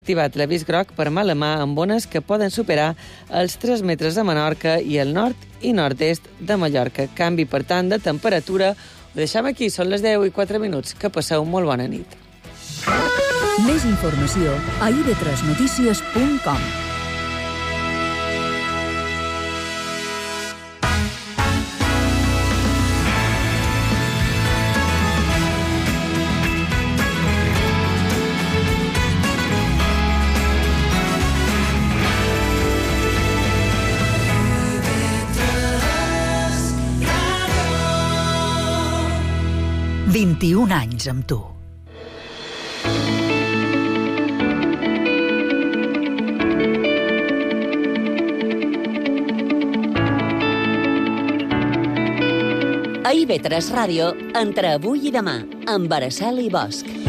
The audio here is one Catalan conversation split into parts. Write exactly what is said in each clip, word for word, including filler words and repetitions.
activat l'avís groc per mala mà amb ones que poden superar els tres metres a Menorca i el nord i nord-est de Mallorca. Canvi, per tant, de temperatura. Ho deixem aquí, són les deu i quatre minuts. Que passeu molt bona nit. Més informació a i ve tres notícies punt com. vint-i-un anys amb tu. A i ve tres Ràdio, entre avui i demà, amb Araceli Bosch.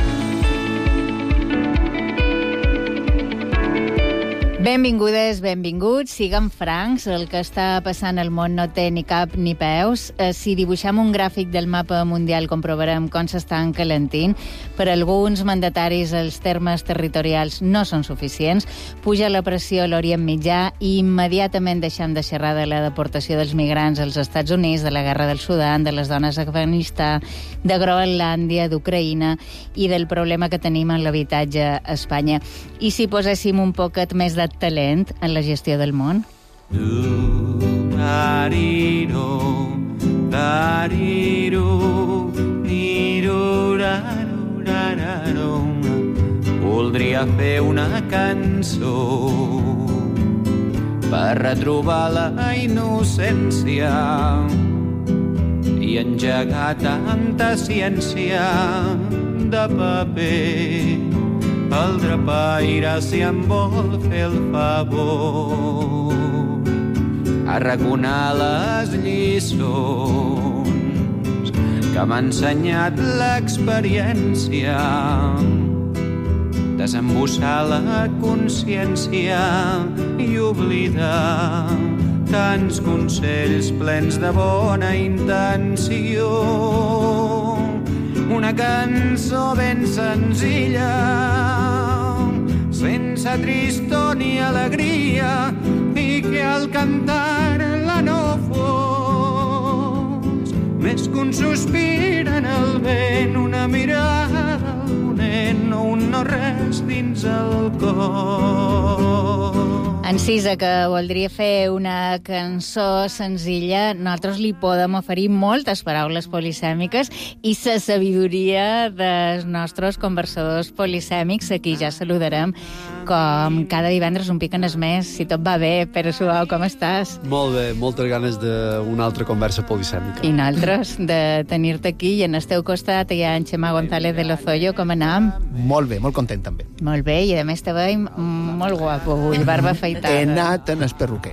Benvingudes, benvinguts, siguem francs, el que està passant al món no té ni cap ni peus. Eh, si dibuixem un gràfic del mapa mundial comprovarem com s'està encalentint. Per alguns mandataris els termes territorials no són suficients, puja la pressió a l'Orient Mitjà i immediatament deixem de xerrar de la deportació dels migrants als Estats Units, de la guerra del Sudan, de les dones a Afganistà, de Groenlàndia, d'Ucraïna i del problema que tenim en l'habitatge a Espanya. I si poséssim un poquet més de talent en la gestió del món? Voldria fer una cançó per retrobar la innocència i engegar tanta ciència de paper. El drapaire, si em vol fer el favor, arraconar les lliçons que m'ha ensenyat l'experiència, desembussar la consciència i oblidar tants consells plens de bona intenció. Una cançó ben senzilla, sense tristor ni alegria, i que al cantar-la no fos més que un sospir en el vent, una mirada al ponent o un no res dins el cor. Encisa, que voldria fer una cançó senzilla, nosaltres li podem oferir moltes paraules polisèmiques i la sabidoria dels nostres conversadors polisèmics, a qui ja saludarem com cada divendres un pic en es més, si tot va bé. Pere Suau, com estàs? Molt bé, moltes ganes d'una altra conversa polisèmica. I nosaltres, de tenir-te aquí, i en el teu costat hi ha en Xema González de Lozoyo. Com anam? Molt bé, molt content també. Molt bé, i a més te veiem molt guapo avui, barba afeitada. He anat en el perruquer.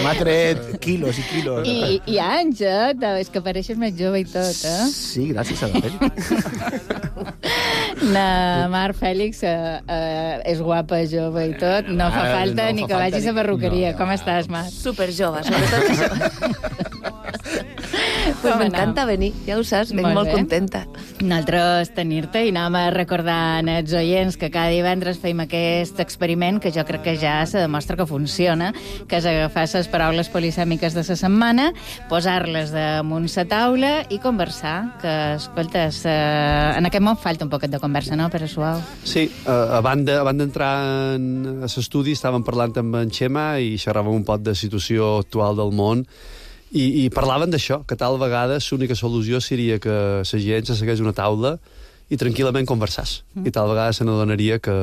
M'ha tret quilos i quilos. I, i anys, eh? És que pareixes més jove i tot, eh? Sí, gràcies a la pell. Na Mar Fèlix eh, eh, és guapa, jove i tot. No fa falta no ni fa que vagis a perruqueria. No, no. Com estàs, Mar? Super jove, sobretot això. Pues m'encanta venir, ja ho saps, venc molt, molt contenta. Nosaltres tenir-te, i anem a recordar als oients que cada divendres fem aquest experiment que jo crec que ja se demostra que funciona, que és agafar les paraules polisèmiques de la setmana, posar-les damunt la taula i conversar, que, escoltes, eh, en aquest món falta un poquet de conversa, no, Pere Suau? Sí, uh, abans d'entrar a l'estudi estàvem parlant amb en Xema i xerràvem un poc de la situació actual del món. I, i parlaven d'això, que tal vegada l'única solució seria que la gent se segueix una taula i tranquil·lament conversàs. Mm. I tal vegada se n'adonaria que,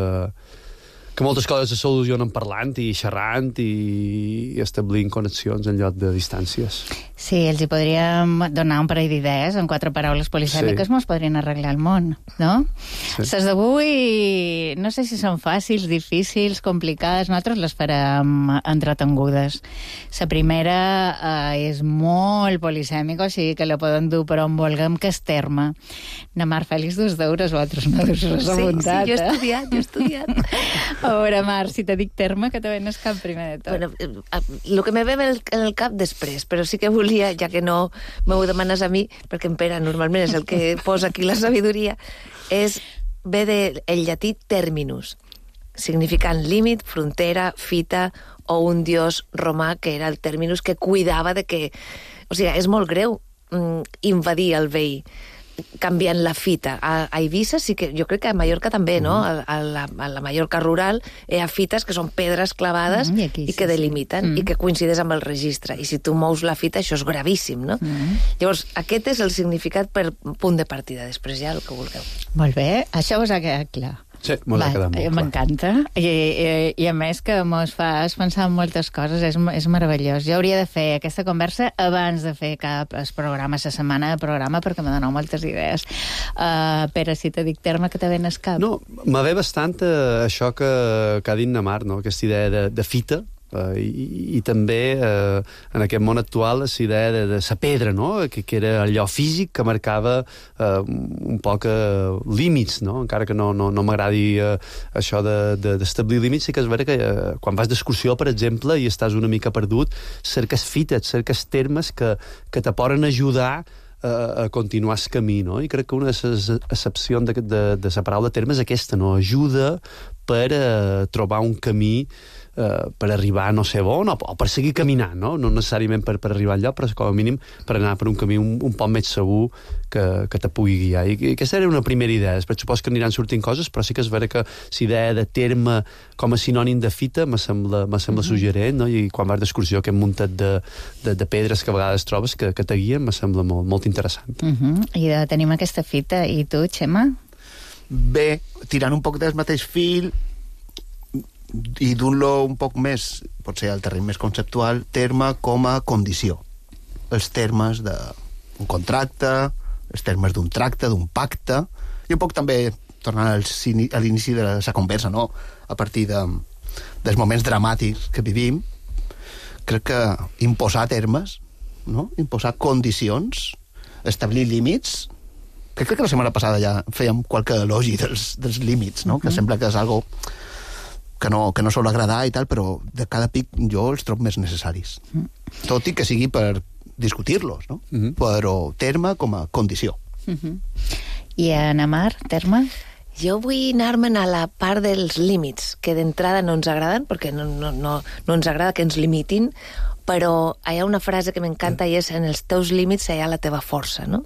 que moltes coses se solucionen parlant i xerrant i, i establint connexions en lloc de distàncies. Sí, els hi podríem donar un parell d'idees, en quatre paraules polisèmiques sí. Mos podrien arreglar el món, no? Sí. Les d'avui, no sé si són fàcils, difícils, complicades, nosaltres les farem entretengudes. La primera eh, és molt polisèmica, o sigui que la podem dur per on vulguem, que és terme. Na Mar Fèlix, dos deures, vosaltres no us has apuntat, sí, sí, jo he estudiat, jo he estudiat. A veure, Mar, si te dic terme, que te venes cap primer de tot. Bueno, el que me ve en el cap després, però sí que volia sabidoria, ja que no m'ho demanes a mi, perquè en Pere normalment és el que posa aquí la sabidoria, és ve del llatí terminus, significant límit, frontera, fita, o un dios romà que era el terminus que cuidava de que... O sigui, és molt greu mm, invadir el veí canviant la fita. A, a Eivissa sí que... Jo crec que a Mallorca també, no? A, a, la, a la Mallorca rural hi ha fites que són pedres clavades mm, i, aquí, i que sí, delimiten sí. mm. i que coincideix amb el registre. I si tu mous la fita, això és gravíssim, no? Mm. Llavors, aquest és el significat per punt de partida. Després ja el que vulgueu. Molt bé, això us ha quedat clar. Sí, m'ho ha quedat molt clar. M'encanta. I, i, I a més que mos fas pensar en moltes coses, és, és meravellós. Jo hauria de fer aquesta conversa abans de fer cap el programa, la setmana de programa, perquè me doneu moltes idees. Uh, Pere, si te dic terme, que te ven el cap. No, me ve bastant uh, això que, que ha dit na Mar, no? Aquesta idea de, de fita, Uh, i, i també uh, en aquest món actual la idea de, de sa pedra, no? que, que era allò físic que marcava uh, un poc uh, límits, no? Encara que no, no, no m'agradi uh, això d'establir de, de, límits, sí que és vera que uh, quan vas d'excursió, per exemple, i estàs una mica perdut, cerques fites, cerques termes que, que te poden ajudar a continuar el camí, no? I crec que una de les accepcions de, de, de la paraula terme és aquesta, no? Ajuda per uh, trobar un camí uh, per arribar no sé on, o, o per seguir caminant, no? No necessàriament per, per arribar enlloc, però com a mínim per anar per un camí un, un poc més segur que, que te pugui guiar. I, I aquesta era una primera idea. Després supos que aniran sortint coses, però sí que és vera que la idea de terme com a sinònim de fita me sembla, me sembla mm-hmm. suggerent, no? I quan vas d'excursió aquest muntat de, de, de pedres que a vegades trobes que, que te guien, me sembla molt, molt interessant. Mm-hmm. I de, tenim aquesta fita. I tu, Xema? Bé, tirant un poc del mateix fil i d'un-lo un poc més, potser al terreny més conceptual, terme com a condició. Els termes d'un contracte, els termes d'un tracte, d'un pacte, i un poc també, tornant a l'inici de la conversa, no? A partir de, dels moments dramàtics que vivim, crec que imposar termes, no? Imposar condicions, establir límits. Crec que la setmana passada ja fèiem qualque elogi dels, dels límits, no? Uh-huh. Que sembla que és algo que no, que no sol agradar i tal, però de cada pic jo els trobo més necessaris. Uh-huh. Tot i que sigui per discutir-los, no? Uh-huh. Però terme com a condició. Uh-huh. I Ana Mar, terme? Jo vull anar-me'n a la part dels límits, que d'entrada no ens agraden, perquè no, no, no, no ens agrada que ens limitin, però hi ha una frase que m'encanta i és en els teus límits hi ha la teva força, no?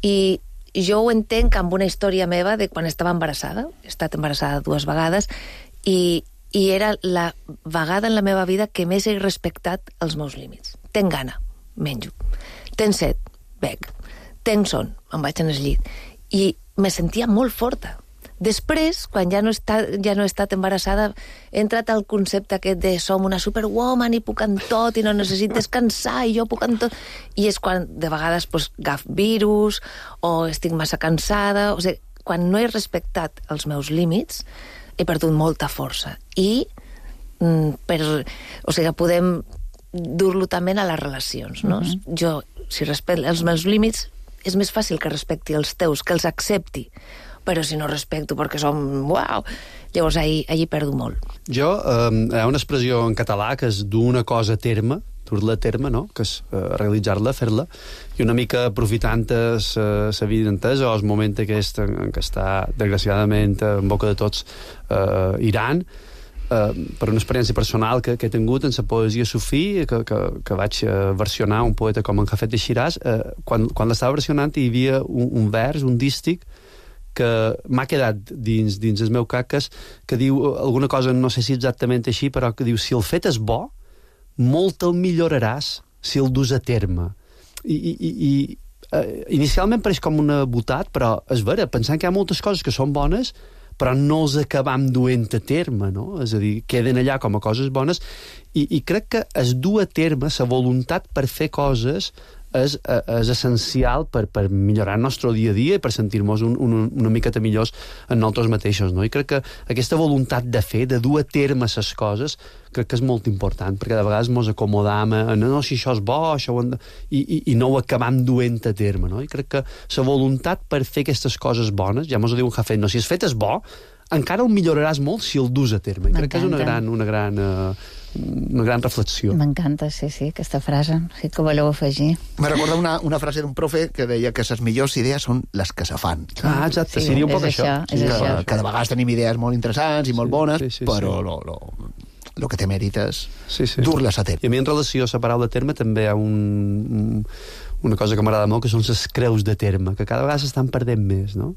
I jo ho entenc amb una història meva de quan estava embarassada, he estat embarassada dues vegades, i, i era la vegada en la meva vida que més he respectat els meus límits. Tenc gana, menjo. Tenc set, bec. Tenc son, em vaig en el llit. I me sentia molt forta. Després, quan ja no, està, ja no he estat embarassada, he entrat al concepte aquest de som una superwoman i puc en tot i no necessit descansar i jo puc en tot. I és quan de vegades pues, agaf virus o estic massa cansada. O sigui, quan no he respectat els meus límits, he perdut molta força. I mm, per, o sigui, podem dur-lo també a les relacions, no? Uh-huh. Jo, si respecto els meus límits, és més fàcil que respecti els teus, que els accepti. Però si no respecto perquè som... Uau! Llavors, ahí, ahí perdo molt. Jo, eh, hi ha una expressió en català que és dur una cosa a terme, dur-la a terme, no? Que és eh, realitzar-la, fer-la, i una mica aprofitant la vida entesa o el moment aquest en què està, desgraciadament, en boca de tots, eh, Iran, eh, per una experiència personal que, que he tingut en la poesia sufí, que, que, que vaig eh, versionar un poeta com en Jafet de Shiraz, eh, quan, quan l'estava versionant hi havia un, un vers, un dístic, que m'ha quedat dins, dins el meu cap, que, és, que diu alguna cosa, no sé si exactament així, però que diu, si el fet és bo, molt el milloraràs si el dus a terme. I, i, i eh, inicialment pareix com una botat, però és vera, pensant que hi ha moltes coses que són bones, però no els acabam duent a terme, no? És a dir, queden allà com a coses bones, i, i crec que es du a terme la voluntat per fer coses és, és essencial per, per millorar el nostre dia a dia i per sentir-nos un, un, una miqueta millors en nosaltres mateixos, no? I crec que aquesta voluntat de fer, de dur a terme les coses, crec que és molt important, perquè de vegades ens acomodam a no, no, si això és bo, això ho hem de... I, i, i no ho acabam duent a terme, no? I crec que la voluntat per fer aquestes coses bones, ja mos ho diu un Jafet, no, si és fet és bo, encara el milloraràs molt si el dus a terme. I crec que és una gran, una gran, uh, una gran reflexió. M'encanta, sí, sí, aquesta frase. Sí que voleu afegir. Me recorda una, una frase d'un profe que deia que les millors idees són les que se fan. Ah, exacte, sí, seria un poc és això. això, és Sí, això. que cada vegada tenim idees molt interessants i molt Sí, bones, sí, sí, però sí. lo, lo, lo que té mèrit és Sí, sí. dur-les a terme. I a mi en relació a la paraula terme també hi ha un, una cosa que m'agrada molt, que són les creus de terme, que cada vegada s'estan perdent més, no?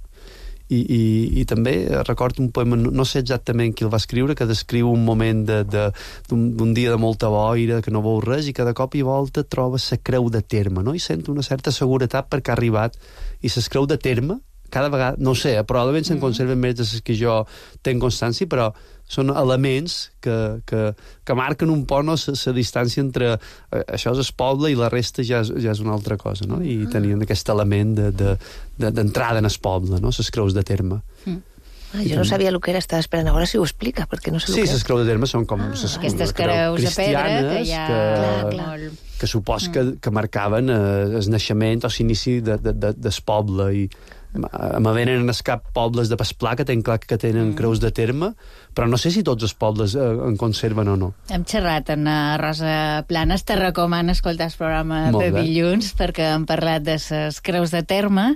I, i, i també recordo un poema, no, no sé exactament qui el va escriure, que descriu un moment de, de, d'un, d'un dia de molta boira, que no veu res, i que de cop i volta troba la creu de terme, no? I sento una certa seguretat perquè ha arribat. I les creu de terme, cada vegada, no ho sé, probablement se'n conserven més de les que jo tenc constància, però són elements que, que, que marquen un poc no, la distància entre eh, això és el poble i la resta ja és, ja és una altra cosa, no? I tenien aquest element de, de, de, d'entrada en el poble, no? Les creus de terme. Ah, jo no sabia el que era, estava esperant. Ara si ho explica, perquè no sé Sí, el que les és. creus de terme són com Ah, les aquestes creus de pedra que hi ha... que, Clar, clar. que supos que, que marcaven eh, el naixement o l'inici de, de, de, del poble. I a me venen en cap pobles de Pasplà que tenen clar que tenen mm. creus de terme, però no sé si tots els pobles eh, en conserven o no. Hem xerrat amb uh, Rosa Planes, te recomano escoltar el programa Molt de bé. dilluns perquè hem parlat de les creus de terme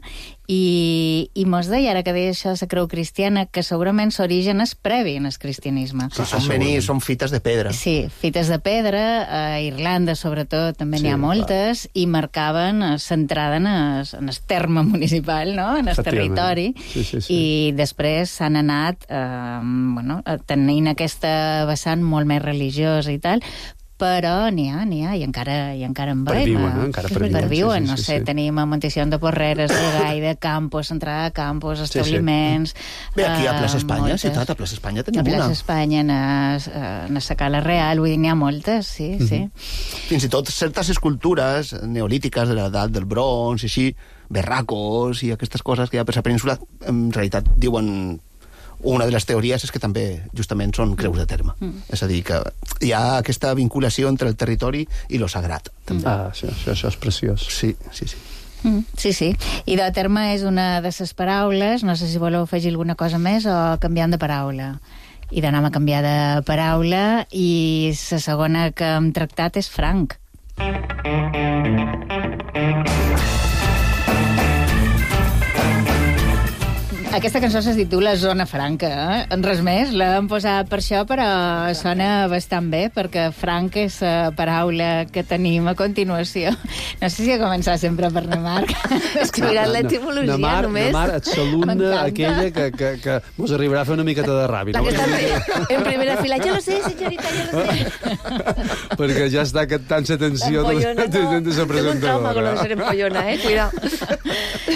i, i mos deia, ara que deia això, la creu cristiana, que segurament l'origen és previ en el cristianisme. Sí, són, venir, són fites de pedra. Sí, fites de pedra, a Irlanda sobretot també n'hi Sí, ha moltes, i marcaven l'entrada en el, en el terme municipal, no? En el Efectivament. territori, Sí, sí, sí. i després s'han anat eh, bueno, tenint aquesta vessant molt més religiosa i tal, però n'hi ha, n'hi ha, i encara, i encara en veiem. Perviuen, eh? Encara perviuen, perviuen, sí, sí, no sí, sé, sí. tenim a Montesión de Porreres, de Gaida, Campos, entrada de Campos, sí. establiments... Bé, aquí a Plaça eh, Espanya, moltes. ciutat, a Plaça Espanya A tenim Plaça una. Espanya, en, es- en la Sacala Real, vull dir, n'hi ha moltes, sí, sí. Fins i tot certes escultures neolítiques de l'edat del bronze, i així, berracos i aquestes coses que hi ha per la península, en realitat diuen... Una de les teories és que també, justament, són creus de terme. Mm. És a dir, que hi ha aquesta vinculació entre el territori i lo sagrat. També. Ah, això, això, això és preciós. Sí, sí, sí. Mm, sí, sí. I de terme és una de les paraules, no sé si voleu afegir alguna cosa més o canviant de paraula. I d'anem a canviar de paraula i la segona que hem tractat és franc. Aquesta cançó se titula Zona Franca, eh? En res més, l'hem posat per això, però sona bastant bé, perquè franc és la paraula que tenim a continuació. No sé si ha començat sempre per Nemarc. És que mirant l'etimologia Namar, només... Namar, et saluna M'encanta. aquella que, que, que mos arribarà a fer una miqueta de ràbia. La No? que està en primera fila. Jo lo sé, senyorita, jo lo sé. Perquè ja està captant l'atenció de, Empollona, de, de, de la Tengo un trauma con lo de presentadora. ser empollona, eh? Cuidado.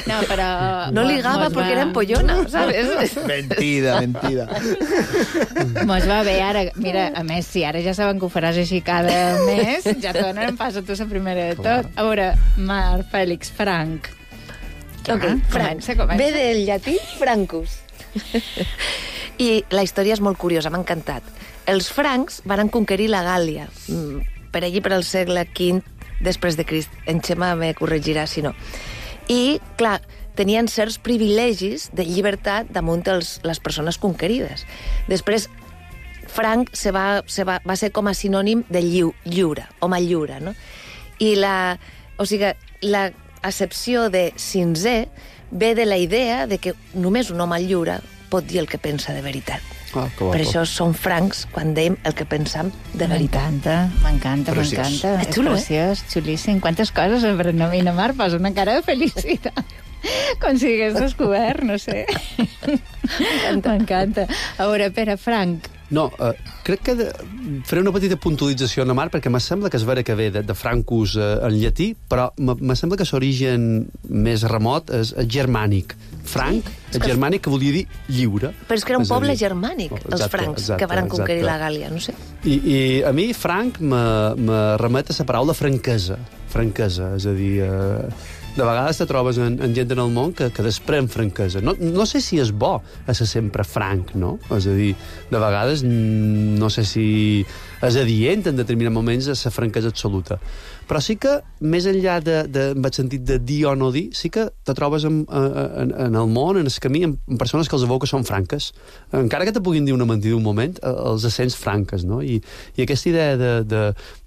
No, però... No ligaba mos porque va- era empollona, ¿sabes? Mentida, mentida. Mos va bé ara. Mira, a més, si ara ja saben que ho faràs així cada mes, ja te donen pas a tu la primera de tot. A veure, Mar, Fèlix, Franc. Ok, Ah, Franc. comença, comença. Ve del llatí francus. I la història és molt curiosa, m'ha encantat. Els francs van conquerir la Gàl·lia, mm, per allí per al segle quinze després de Crist. En Xema me corregirà si no. I, clar, tenien certs privilegis de llibertat damunt els, les persones conquerides. Després, franc se va, se va, va ser com a sinònim de lliu, lliure, home lliure, no? I la, o sigui, la accepció de cinquè ve de la idea de que només un home lliure pot dir el que pensa de veritat. Ah, que Per guapo. això som francs quan dèiem el que pensam de veritat. M'encanta, m'encanta, Preciós. m'encanta. És xulo, eh? preciós, xulíssim. Quantes coses aprendem a Mar, posa una cara de felicitat. Com si hagués descobert, no sé. M'encanta. A veure, Pere, Franc, No, eh, crec que de, faré una petita puntualització a Mar, perquè me sembla que és vera que ve de, de Francus eh, en llatí, però me, me sembla que l'origen més remot és el germànic. Franc, Sí, el que- germànic que volia dir lliure. Però és que era un És a poble dir- germànic, Oh, els exacte, francs, exacte, que van conquerir exacte. la Gàl·lia, no sé. I, I a mi, franc, me, me remet a la paraula franquesa. Franquesa, és a dir... Eh, de vegades te trobes en, en gent en el món que, que desprèn franquesa. No, no sé si és bo a ser sempre franc, no? És a dir, de vegades no sé si és adient en determinats moments a ser franquesa absoluta. Però sí que, més enllà de, de, en el sentit de dir o no dir, sí que te trobes en, en, en el món, en el camí, amb persones que els veu que són franques. Encara que te puguin dir una mentida un moment, els sents franques, no? I, i aquesta idea de, de,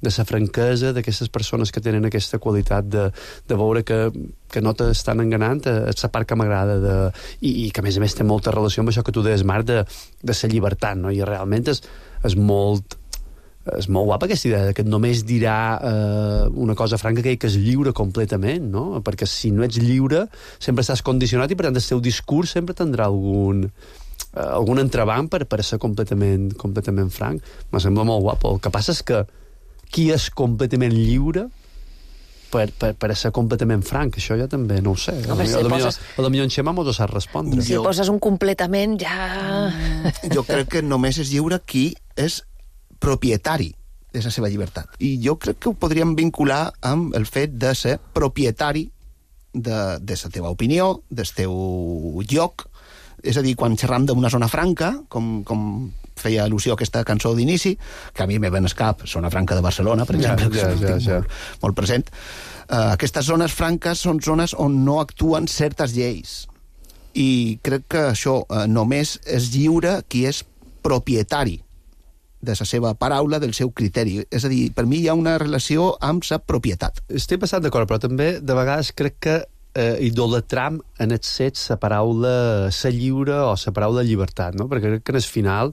de la franquesa, d'aquestes persones que tenen aquesta qualitat de, de veure que, que no t'estan enganant, és la part que m'agrada, de, i, i que a més a més té molta relació amb això que tu deies, Marc, de, de la llibertat, no? I realment és, és molt... és molt guapa aquesta idea de que només dirà eh, una cosa franca que, que és lliure completament, no? Perquè si no ets lliure sempre estàs condicionat i per tant el teu discurs sempre tindrà algun, eh, algun entrebanc per, per ser completament, completament franc. Me sembla molt guapo. El que passa és que qui és completament lliure per, per, per ser completament franc, això ja també no ho sé. Home, si a lo poses... millor en Xema m'ho sap respondre. Si poses un completament ja... Jo crec que només és lliure qui és propietari de la seva llibertat. I jo crec que ho podríem vincular amb el fet de ser propietari de, de la teva opinió, del teu lloc. És a dir, quan xerram d'una zona franca, com, com feia al·lusió a aquesta cançó d'inici, que a mi me ven al cap, zona franca de Barcelona, per exemple, ja, ja, ja, ja. Molt, molt present. Uh, aquestes zones franques són zones on no actuen certes lleis. I crec que això uh, només és lliure qui és propietari de la seva paraula, del seu criteri. És a dir, per mi hi ha una relació amb la propietat. Estic bastant d'acord, però també de vegades crec que eh, idolatram en el set la paraula ser lliure o la paraula llibertat, no? Perquè crec que en el final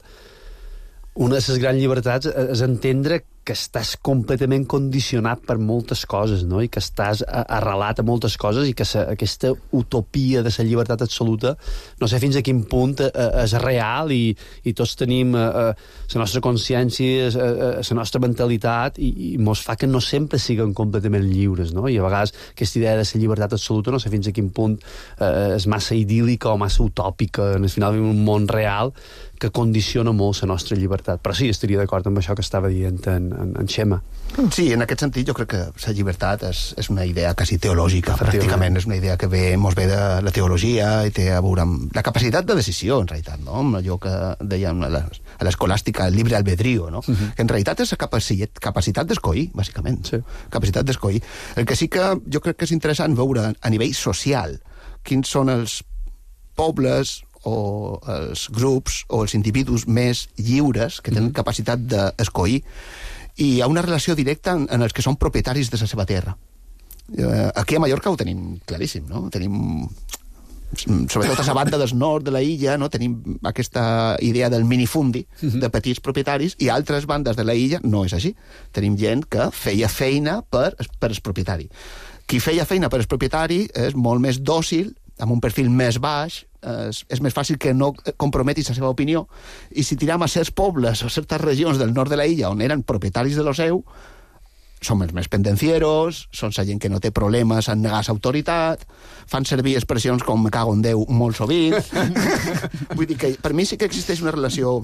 una de les grans llibertats és entendre que estàs completament condicionat per moltes coses, no? I que estàs arrelat a moltes coses i que sa, aquesta utopia de la llibertat absoluta no sé fins a quin punt eh, és real i, i tots tenim la eh, nostra consciència, la nostra mentalitat i, i mos fa que no sempre siguem completament lliures, no? I a vegades aquesta idea de la llibertat absoluta no sé fins a quin punt eh, és massa idíl·lica o massa utòpica. Al final vivim un món real que condiciona molt la nostra llibertat. Però sí, estaria d'acord amb això que estava dient en, en, en Xema. Sí, en aquest sentit jo crec que la llibertat és, és una idea quasi teològica, pràcticament. És una idea que ve, mos ve de la teologia i té a veure amb la capacitat de decisió, en realitat, no? Amb allò que dèiem a l'escolàstica, el llibre albedrío, no? Uh-huh. Que en realitat és la capacitat, capacitat d'escollir, bàsicament. Sí. Capacitat d'escollir. El que sí que jo crec que és interessant veure a nivell social quins són els pobles o els grups o els individus més lliures que tenen mm. capacitat d'escollir, i hi ha una relació directa en, en els que són propietaris de la seva terra. Eh, aquí a Mallorca ho tenim claríssim, no? Tenim, sobretot a la banda del nord de la illa, no? Tenim aquesta idea del minifundi, mm-hmm. de petits propietaris, i altres bandes de la illa no és així. Tenim gent que feia feina per, per el propietari. Qui feia feina per el propietari és molt més dòcil, amb un perfil més baix, és, és més fàcil que no comprometis la seva opinió, i si tiram a certs pobles o certes regions del nord de la illa on eren propietaris de lo seu, són els més pendencieros, són la gent que no té problemes en negar l'autoritat, fan servir expressions com me cago en Déu molt sovint. Vull dir que per mi sí que existeix una relació.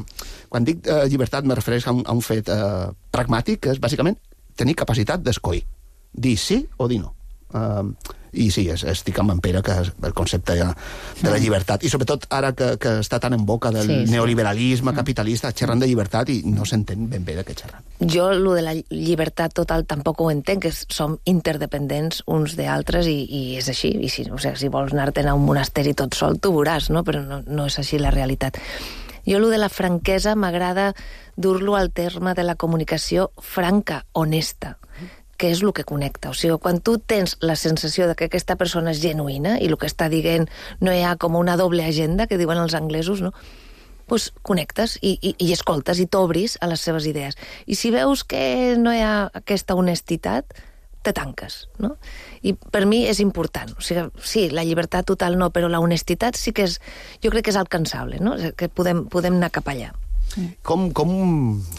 Quan dic eh, llibertat me refereix a un, a un fet eh, pragmàtic, que és bàsicament tenir capacitat d'escollir, dir sí o dir no. Uh, i sí, estic amb en Pere que el concepte de la llibertat, i sobretot ara que, que està tan en boca del sí, sí. neoliberalisme capitalista, xerrant de llibertat i no s'entén ben bé de què xerran. Jo, lo de la llibertat total tampoc ho entenc, que som interdependents uns d'altres i, i és així, i si, o sigui, si vols anar-te'n a un monasteri tot sol, tu veuràs, no? Però no, no és així la realitat. Jo, lo de la franquesa, m'agrada dur-lo al terme de la comunicació franca, honesta, que és el que connecta. O sigui, quan tu tens la sensació de que aquesta persona és genuïna i el que està dient no hi ha com una doble agenda, que diuen els anglesos, no? Pues connectes i, i, i escoltes i t'obris a les seves idees. I si veus que no hi ha aquesta honestitat, te tanques, no? I per mi és important. O sigui, sí, la llibertat total no, però la honestitat sí que és... Jo crec que és alcançable, no? Que podem, podem anar cap allà. Com, com,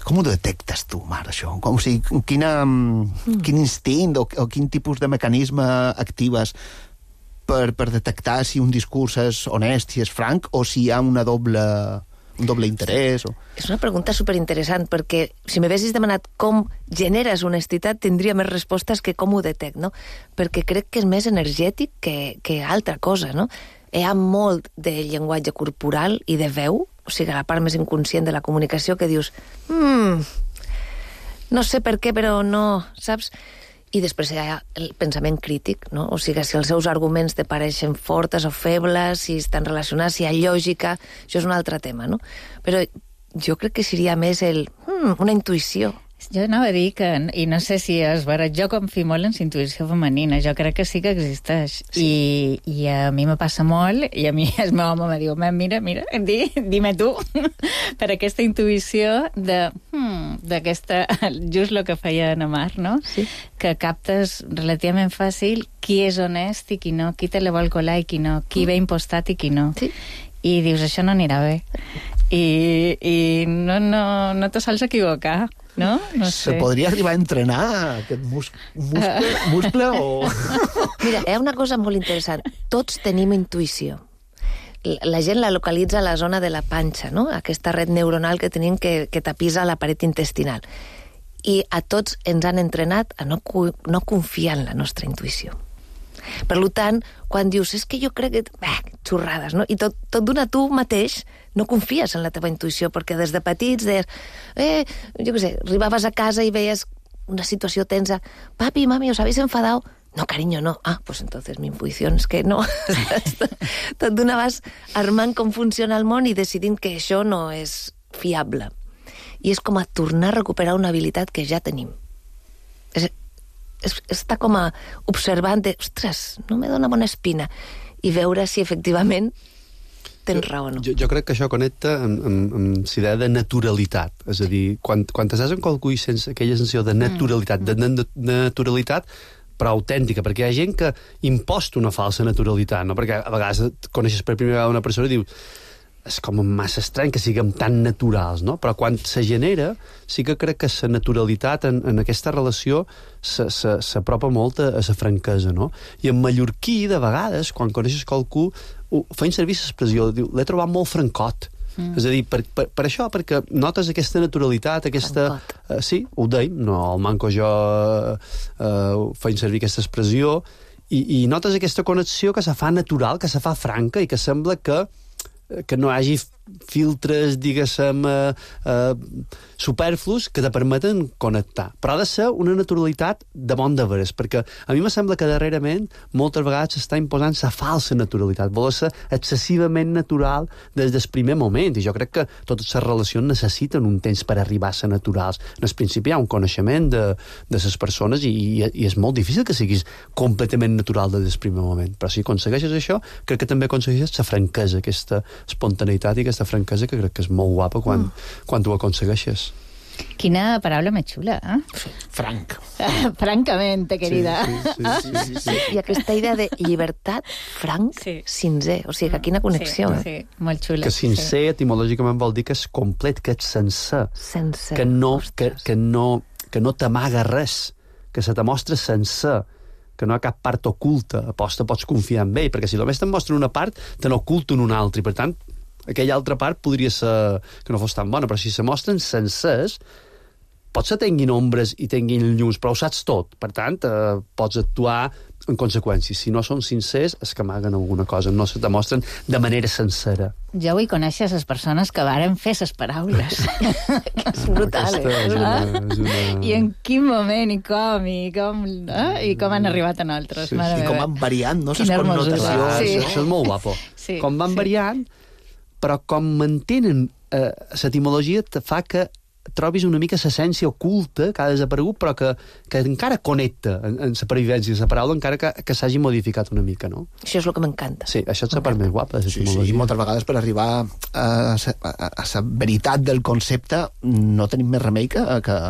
com ho detectes tu, Mar, això? Com, o sigui, quina, mm. quin instint o, o quin tipus de mecanisme actives per, per detectar si un discurs és honest, si és franc, o si hi ha una doble, un doble interès? O... És una pregunta superinteressant, perquè si m'haguessis demanat com generes honestitat, tindria més respostes que com ho detect, no? Perquè crec que és més energètic que, que altra cosa, no? Hi ha molt de llenguatge corporal i de veu, o sigui, la part més inconscient de la comunicació, que dius, mm, no sé per què, però no, saps? I després hi ha el pensament crític, no? O sigui, si els seus arguments te pareixen fortes o febles, si estan relacionats, si hi ha lògica, això és un altre tema, no? Però jo crec que seria més el... Hmm, una intuïció. Jo anava a dir que, i no sé si és vera, jo confio molt en la intuïció femenina, jo crec que sí que existeix. Sí. I, I a mi me passa molt, i a mi el meu home me diu, mira, mira, di, dime tu, per aquesta intuïció de, hmm, d'aquesta, just el que feia en Amar, no? Sí. Que captes relativament fàcil qui és honest i qui no, qui te la vol colar i qui no, qui ve impostat i qui no. Sí. I dius, això no anirà bé. I, i no, no, no te sols equivocar, no? No sé. Se podria arribar a entrenar aquest mus muscle, muscle o... Mira, hi ha una cosa molt interessant. Tots tenim intuïció. La gent la localitza a la zona de la panxa, no? Aquesta red neuronal que tenim que, que tapisa la paret intestinal. I a tots ens han entrenat a no, no confiar en la nostra intuïció. Per tant, quan dius, és que jo crec que... Bah, xorrades, no? I tot, tot d'una tu mateix no confies en la teva intuïció, perquè des de petits deies, eh, jo què sé, arribaves a casa i veies una situació tensa, papi, mami, ¿os habéis enfadado? No, cariño, no. Ah, pues entonces mi intuïció és que no. Tot d'una vas armant com funciona el món i decidint que això no és fiable. I és com a tornar a recuperar una habilitat que ja tenim. És... està com a observant de, ostres, no me dona bona espina, i veure si efectivament tens jo, raó o no. Jo, jo crec que això connecta amb, amb, amb la idea de naturalitat, és a dir, quan, quan t'estàs amb qualcú i sense aquella sensació de naturalitat, mm. de, de, de naturalitat però autèntica, perquè hi ha gent que imposta una falsa naturalitat, no? Perquè a vegades coneixes per primera vegada una persona i dius, és com massa estrany que siguem tan naturals, no? Però quan se genera, sí que crec que la naturalitat en, en aquesta relació s'apropa molt a la franquesa, no? I en mallorquí, de vegades, quan coneixes qualcú, feien servir l'expressió, diu, l'he trobat molt francot. Mm. És a dir, per, per, per això, perquè notes aquesta naturalitat, aquesta... Uh, sí, ho deim, no, el Manco jo uh, feien servir aquesta expressió, i, i notes aquesta connexió que se fa natural, que se fa franca, i que sembla que que no hi hagi filtres, diguéssim, eh, eh, superflus que te permeten connectar. Però ha de ser una naturalitat de bon de veres, perquè a mi me sembla que darrerament moltes vegades s'està imposant la falsa naturalitat, vol ser excessivament natural des del primer moment, i jo crec que totes les relacions necessiten un temps per arribar a ser naturals. En el principi hi ha un coneixement de, de les persones i, i, i és molt difícil que siguis completament natural des del primer moment, però si aconsegueixes això, crec que també aconsegueixes la franquesa, aquesta espontaneïtat i aquesta franquesa que crec que és molt guapa quan, mm. quan tu ho aconsegueixes. Quina paraula més xula, eh? Franc. Francamente, querida. Sí, sí, sí, sí, sí, sí. I aquesta idea de llibertat, franc, sí. sincer. O sigui, que quina connexió, sí, eh? Sí, molt xula. Que sincer, sí. Etimològicament vol dir que és complet, que és sencer. Sencer. Que no, que, que no, que no t'amaga res, que se te mostra sencer, que no hi ha cap part oculta. Aposta, pots confiar en ell, perquè si només te'n mostren una part, te n'oculten una altra, i per tant, aquella altra part podria ser que no fos tan bona, però si se mostren sencers, potser tinguin ombres i tinguin llums, però ho saps tot. Per tant, eh, pots actuar en conseqüència. Si no són sincers, és que amaguen alguna cosa, no se demostren de manera sincera. Jo vull conèixer les persones que varen fer les paraules. És brutal, eh? És una, és una... I en quin moment, i com, i com, eh? I com han arribat a nosaltres. Sí, I com van variant, no? Les connotacions. Sí. Això és molt guapo. Sí, com van sí. variant, però com mantenen eh, l'etimologia te fa que trobis una mica l'essència oculta que ha desaparegut, però que, que encara connecta en, en la pervivència de la paraula, encara que, que s'hagi modificat una mica, no? Això és el que m'encanta. Sí, això és la part més guapa de Sí, l'etimologia. sí, moltes vegades per arribar a la veritat del concepte no tenim més remei que, que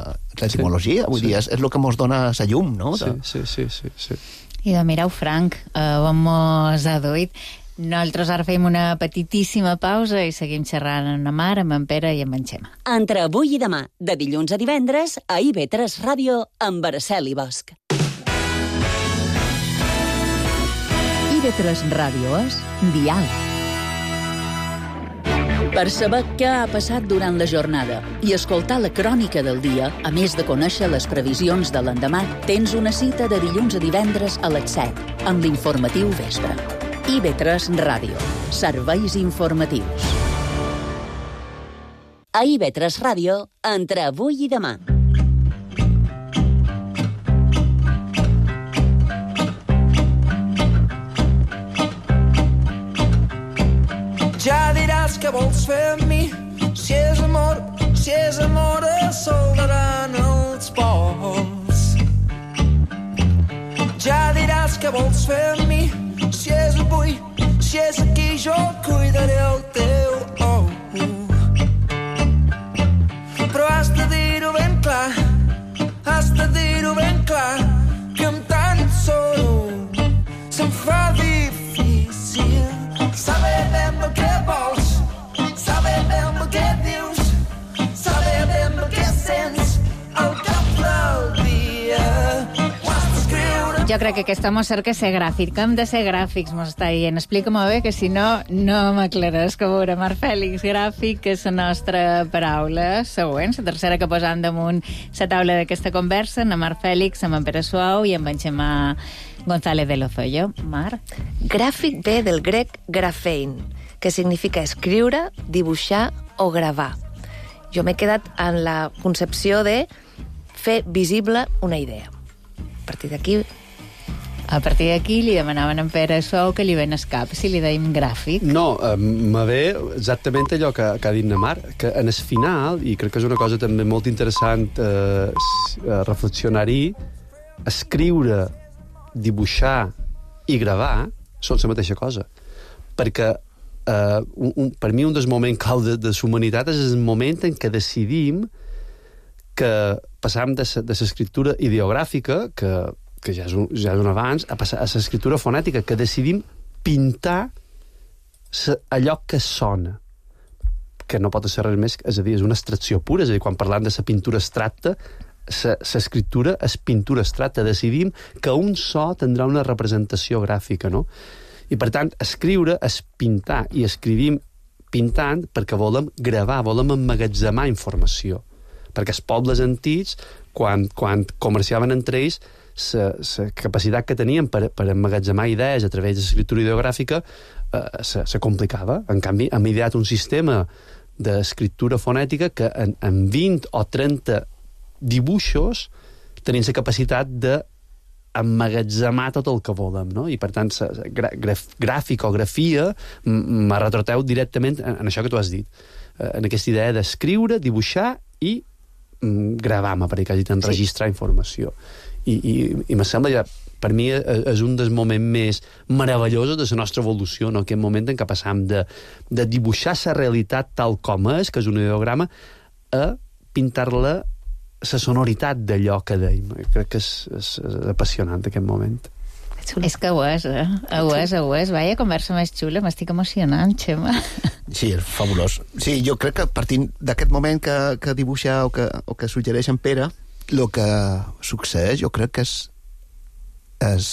l'etimologia. Sí, Vull sí. dir, és, és el que mos dona la llum, no? Sí, sí, sí, sí, sí. I de mireu, Frank, eh, on mos ha duit. Nosaltres ara fem una petitíssima pausa i seguim xerrant amb la Mar, amb en Pere i amb en Xema. Entre avui i demà, de dilluns a divendres, a I V tres Ràdio, amb Araceli Bosch. I V tres Ràdio és Diàleg. Per saber què ha passat durant la jornada i escoltar la crònica del dia, a més de conèixer les previsions de l'endemà, tens una cita de dilluns a divendres a les set, amb l'informatiu Vespre. I ve tres Ràdio. Serveis informatius. A I ve tres Ràdio, entre avui i demà. Ja diràs què vols fer amb mi, si és amor, si és amor es soldaran els pols. Ja diràs què vols fer amb mi, si és avui, si és aquí jo cuidaré el teu ou. Però has de dir-ho ben clar, has de dir-ho ben clar, que amb tant solo se'm fa difícil saber ben el que vols, saber ben el que dius, saber ben el que sents al cap del dia. Ho has d'escriure. Jo crec que aquest home cerca ser gràfic, que hem de ser gràfics, m'ho està dient. Explica-m'ho bé, que si no, no m'aclaràs. Que veure, Marc Fèlix, gràfic, que és la nostra paraula següent, la tercera que posam damunt la taula d'aquesta conversa, en Marc Fèlix, amb en Pere Suau i amb en Xemà González de Lozoyo. Marc? Gràfic ve del grec grafein, que significa escriure, dibuixar o gravar. Jo m'he quedat en la concepció de fer visible una idea. A partir d'aquí... A partir d'aquí li demanaven a en Pere Suau que li ven el cap, si li deim gràfic. No, eh, me ve exactament allò que, que ha dit na Mar, que en el final, i crec que és una cosa també molt interessant eh, reflexionar-hi, escriure, dibuixar i gravar són la mateixa cosa. Perquè eh, un, un, per mi un dels moments clau de, de la humanitat és el moment en què decidim que passam de l'escriptura ideogràfica, que, que ja, és un, ja és un abans, a passar a l'escriptura fonètica, que decidim pintar sa, allò que sona, que no pot ser res més, és a dir, és una abstracció pura, és a dir, quan parlam de la pintura abstracta, l'escriptura és pintura abstracta. Decidim que un so tindrà una representació gràfica, no? I, per tant, escriure és pintar, i escrivim pintant perquè volem gravar, volem emmagatzemar informació. Perquè els pobles antics, quan, quan comerciaven entre ells, la capacitat que tenien per, per emmagatzemar idees a través de l'escriptura ideogràfica eh, se, se complicava. En canvi, hem ideat un sistema d'escriptura fonètica que en, en vint o trenta dibuixos tenien la capacitat de emmagatzemar tot el que volem, no? I per tant gra, graf, gràfic o grafia me retroteu directament en, en això que tu has dit, en aquesta idea d'escriure, dibuixar i mm, gravar, m'apareix que has dit, enregistrar sí. informació. I, i, i me sembla ja, per mi és un dels moments més meravellosos de la nostra evolució, no? Aquest moment en què passam de, de dibuixar la realitat tal com és, que és un ideograma, a pintar-la la sonoritat d'allò que deim. Crec que és, és, és apassionant aquest moment. És que ho és, eh? Ho és, ho és. Vaya conversa més xula, m'estic emocionant, Xema. Sí, és fabulós. Sí, jo crec que partint d'aquest moment que, que dibuixa o que, o que suggereix en Pere, el que succeeix, jo crec que és, és,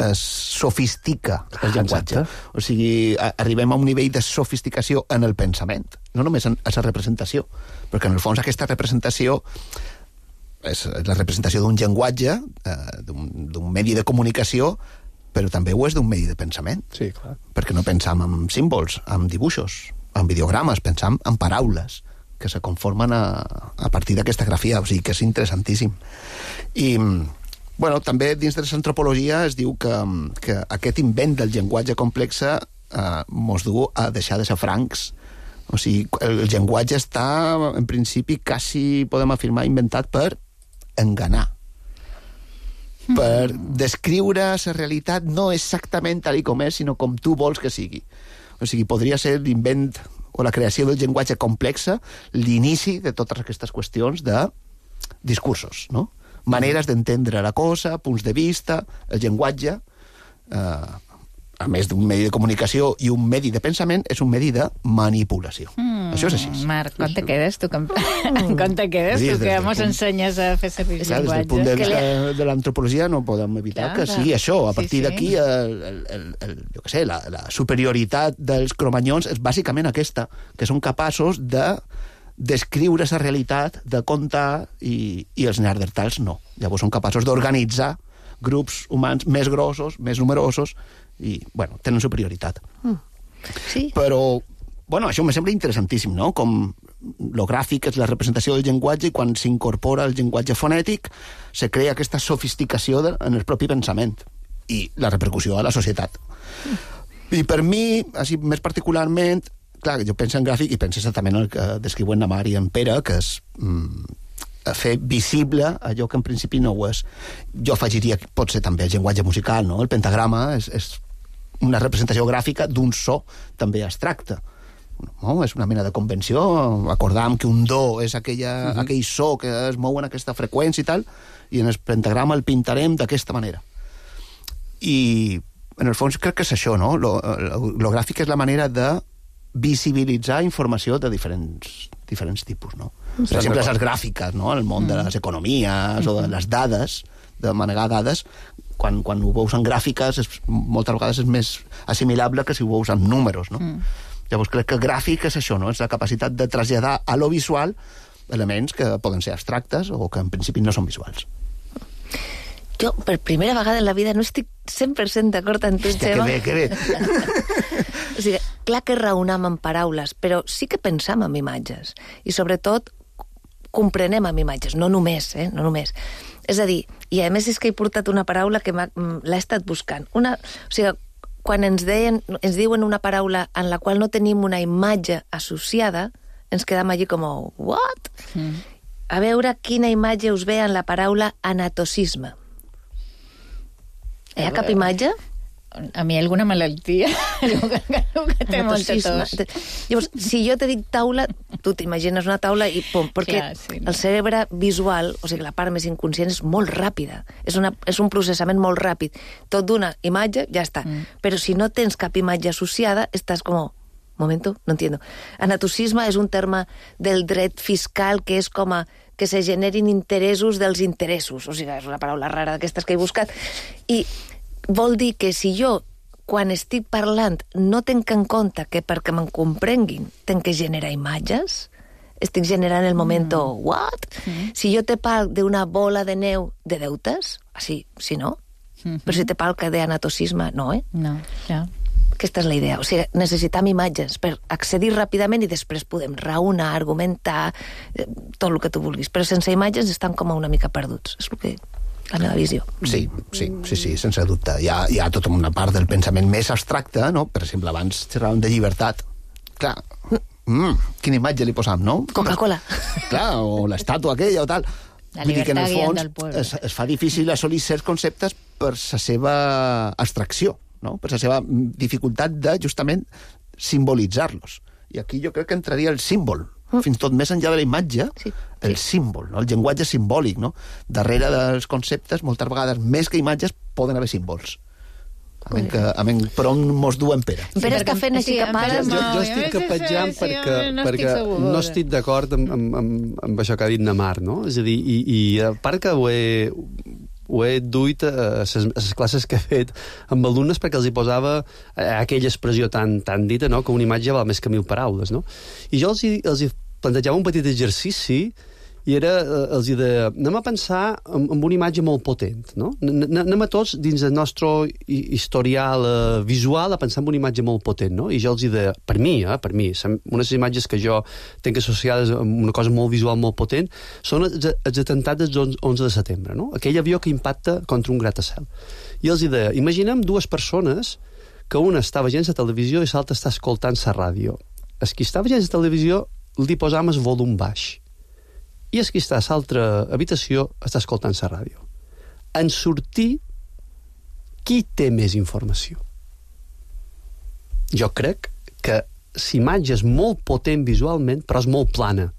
es sofistica el llenguatge. Exacte. O sigui, a, arribem a un nivell de sofisticació en el pensament, no només en, en la representació, perquè en el fons aquesta representació és la representació d'un llenguatge, eh, d'un medi de comunicació, però també ho és d'un medi de pensament. Sí, clar. Perquè no pensam en símbols, en dibuixos, en videogrames, pensam en paraules que se conformen a, a partir d'aquesta grafia, o sigui que és interessantíssim. I, bueno, també dins de l'antropologia es diu que, que aquest invent del llenguatge complex eh, mos du a deixar de ser francs. O sigui, el llenguatge està, en principi, quasi, podem afirmar, inventat per enganar. Mm. Per descriure la realitat no exactament tal com és, sinó com tu vols que sigui. O sigui, podria ser l'invent o la creació del llenguatge complexa l'inici de totes aquestes qüestions de discursos, no? Maneres d'entendre la cosa, punts de vista, el llenguatge, eh, a més d'un medi de comunicació i un medi de pensament, és un medi de manipulació. Mm, Això és així. Marc, com te quedes tu? Com, com te quedes tu que mos ensenyes a fer servir el Clar, llenguatge? Des del punt de vista de l'antropologia no podem evitar Clar, que clar. sigui això. A partir Sí, sí. d'aquí, el, el, el, el, jo què sé, la, la superioritat dels cromanyons és bàsicament aquesta, que són capaços de descriure la realitat, de contar, i, i els neandertals no. Llavors són capaços d'organitzar grups humans més grossos, més numerosos, i, bueno, tenen superioritat. Mm. Sí. Però, bueno, això me sembla interessantíssim, no? Com lo gràfic és la representació del llenguatge i quan s'incorpora el llenguatge fonètic se crea aquesta sofisticació de, en el propi pensament i la repercussió a la societat. Mm. I per mi, així més particularment, clar, jo penso en gràfic i penso exactament el que descriuen na Mar i en Pere, que és mm, fer visible allò que en principi no ho és. Jo afegiria que pot ser també el llenguatge musical, no? El pentagrama és, és una representació gràfica d'un so també abstracte. No? És una mena de convenció. Acordam que un do és aquella, uh-huh. aquell so que es mou en aquesta freqüència i tal, i en el pentagrama el pintarem d'aquesta manera. I, en el fons, crec que és això, no? Lo, lo, lo gràfic és la manera de visibilitzar informació de diferents, diferents tipus, no? Per exemple, les gràfiques, no? En el món de les economies o de les dades, de manegar dades, quan, quan ho veus en gràfiques, és, moltes vegades és més assimilable que si ho veus en números, no? Mm. Llavors crec que gràfic és això, no? És la capacitat de traslladar a lo visual elements que poden ser abstractes o que en principi no són visuals. Jo, per primera vegada en la vida, no estic cent per cent d'acord amb tu, Hòstia, Xema. que bé, que bé. O sigui, clar que raonam en paraules, però sí que pensam en imatges. I sobretot comprenem amb imatges, no només, eh? No només. És a dir, i a més és que he portat una paraula que l'he estat buscant. Una, o sigui, quan ens, deien, ens diuen una paraula en la qual no tenim una imatge associada, ens quedam allí com, what? Mm. A veure quina imatge us ve en la paraula anatocisme. Hi ha cap imatge? A mi alguna malaltia, el que, el que té molta tos. Llavors, si jo te dic taula, tu t'imagines una taula i pum, perquè Clar, sí, no? el cerebre visual, o sigui, la part més inconscient és molt ràpida, és, una, és un processament molt ràpid. Tot d'una imatge, ja està. Mm. Però si no tens cap imatge associada, estàs com, momento, no entiendo. Anatocisme és un terme del dret fiscal que és com a que se generin interessos dels interessos. O sigui, és una paraula rara d'aquestes que he buscat. I vol dir que si jo, quan estic parlant, no tenc en compte que perquè me'n comprenguin tenc que generar imatges, estic generant el moment, mm. what? Mm. Si jo te parlo d'una bola de neu de deutes, així, si no, mm-hmm. però si te parlo d'anatocisme, no, eh? No, ja. Aquesta és la idea. O sigui, necessitam imatges per accedir ràpidament i després podem raonar, argumentar, tot el que tu vulguis. Però sense imatges estan com una mica perduts. És el que... la meva visió. Sí, sí, sí, sí, sense dubte. Hi ha, hi ha tota una part del pensament més abstracte, no? Per exemple, abans xerràvem de llibertat. Clar, mm, quina imatge li posam, no? Coca-Cola. Clar, o l'estàtua aquella o tal. La Vull dir que en el llibertat fons del pueblo. es, es fa difícil assolir certs conceptes per la seva abstracció, no? Per la seva dificultat de, justament, simbolitzar-los. I aquí jo crec que entraria el símbol, mm. fins tot més enllà de la imatge, sí. el símbol, no? El llenguatge simbòlic, no? Darrere dels conceptes, moltes vegades, més que imatges, poden haver símbols. A menys que, a menys per on mos duen Pere. Pere està fent així Sí, cap ara. Jo, jo estic capetjant sí, perquè, no estic perquè segura. no estic d'acord amb, amb, amb, amb això que ha dit na Mar, no? És a dir, i, i a part que ho he, ho he duit a les classes que he fet amb alumnes perquè els hi posava aquella expressió tan, tan dita, no?, que una imatge val més que mil paraules, no? I jo els hi, els hi plantejava un petit exercici i era, els hi deia, anem a pensar en, en una imatge molt potent, no? Anem a tots, dins del nostre historial eh, visual, a pensar en una imatge molt potent, no? I jo els hi deia, per mi, eh, per mi, unes imatges que jo tenc associades amb una cosa molt visual, molt potent, són els, els atemptats del onze de setembre, no? Aquell avió que impacta contra un gratacel. I els hi deia, imaginem dues persones que una està veient la televisió i l'altra està escoltant la ràdio. El qui està veient la televisió li posam el volum baix. I el que està a l'altra habitació està escoltant la ràdio. En sortir, qui té més informació? Jo crec que l'imatge és molt potent visualment, però és molt plana.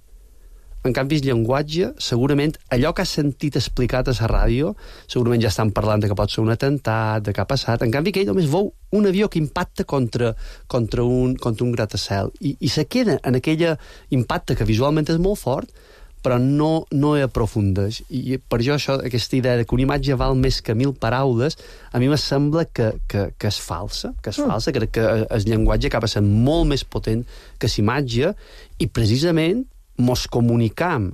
En canvi, el llenguatge, segurament, allò que has sentit explicat a la ràdio, segurament ja estan parlant de que pot ser un atemptat, de què ha passat. En canvi, que ell només veu un avió que impacta contra, contra, un, contra un gratacel i, i se queda en aquell impacte que visualment és molt fort, però no, no hi aprofundeix. I per això, això, aquesta idea de que una imatge val més que mil paraules, a mi me sembla que, que, que és falsa, que és falsa, crec que el llenguatge acaba sent molt més potent que l'imatge, i precisament mos comunicam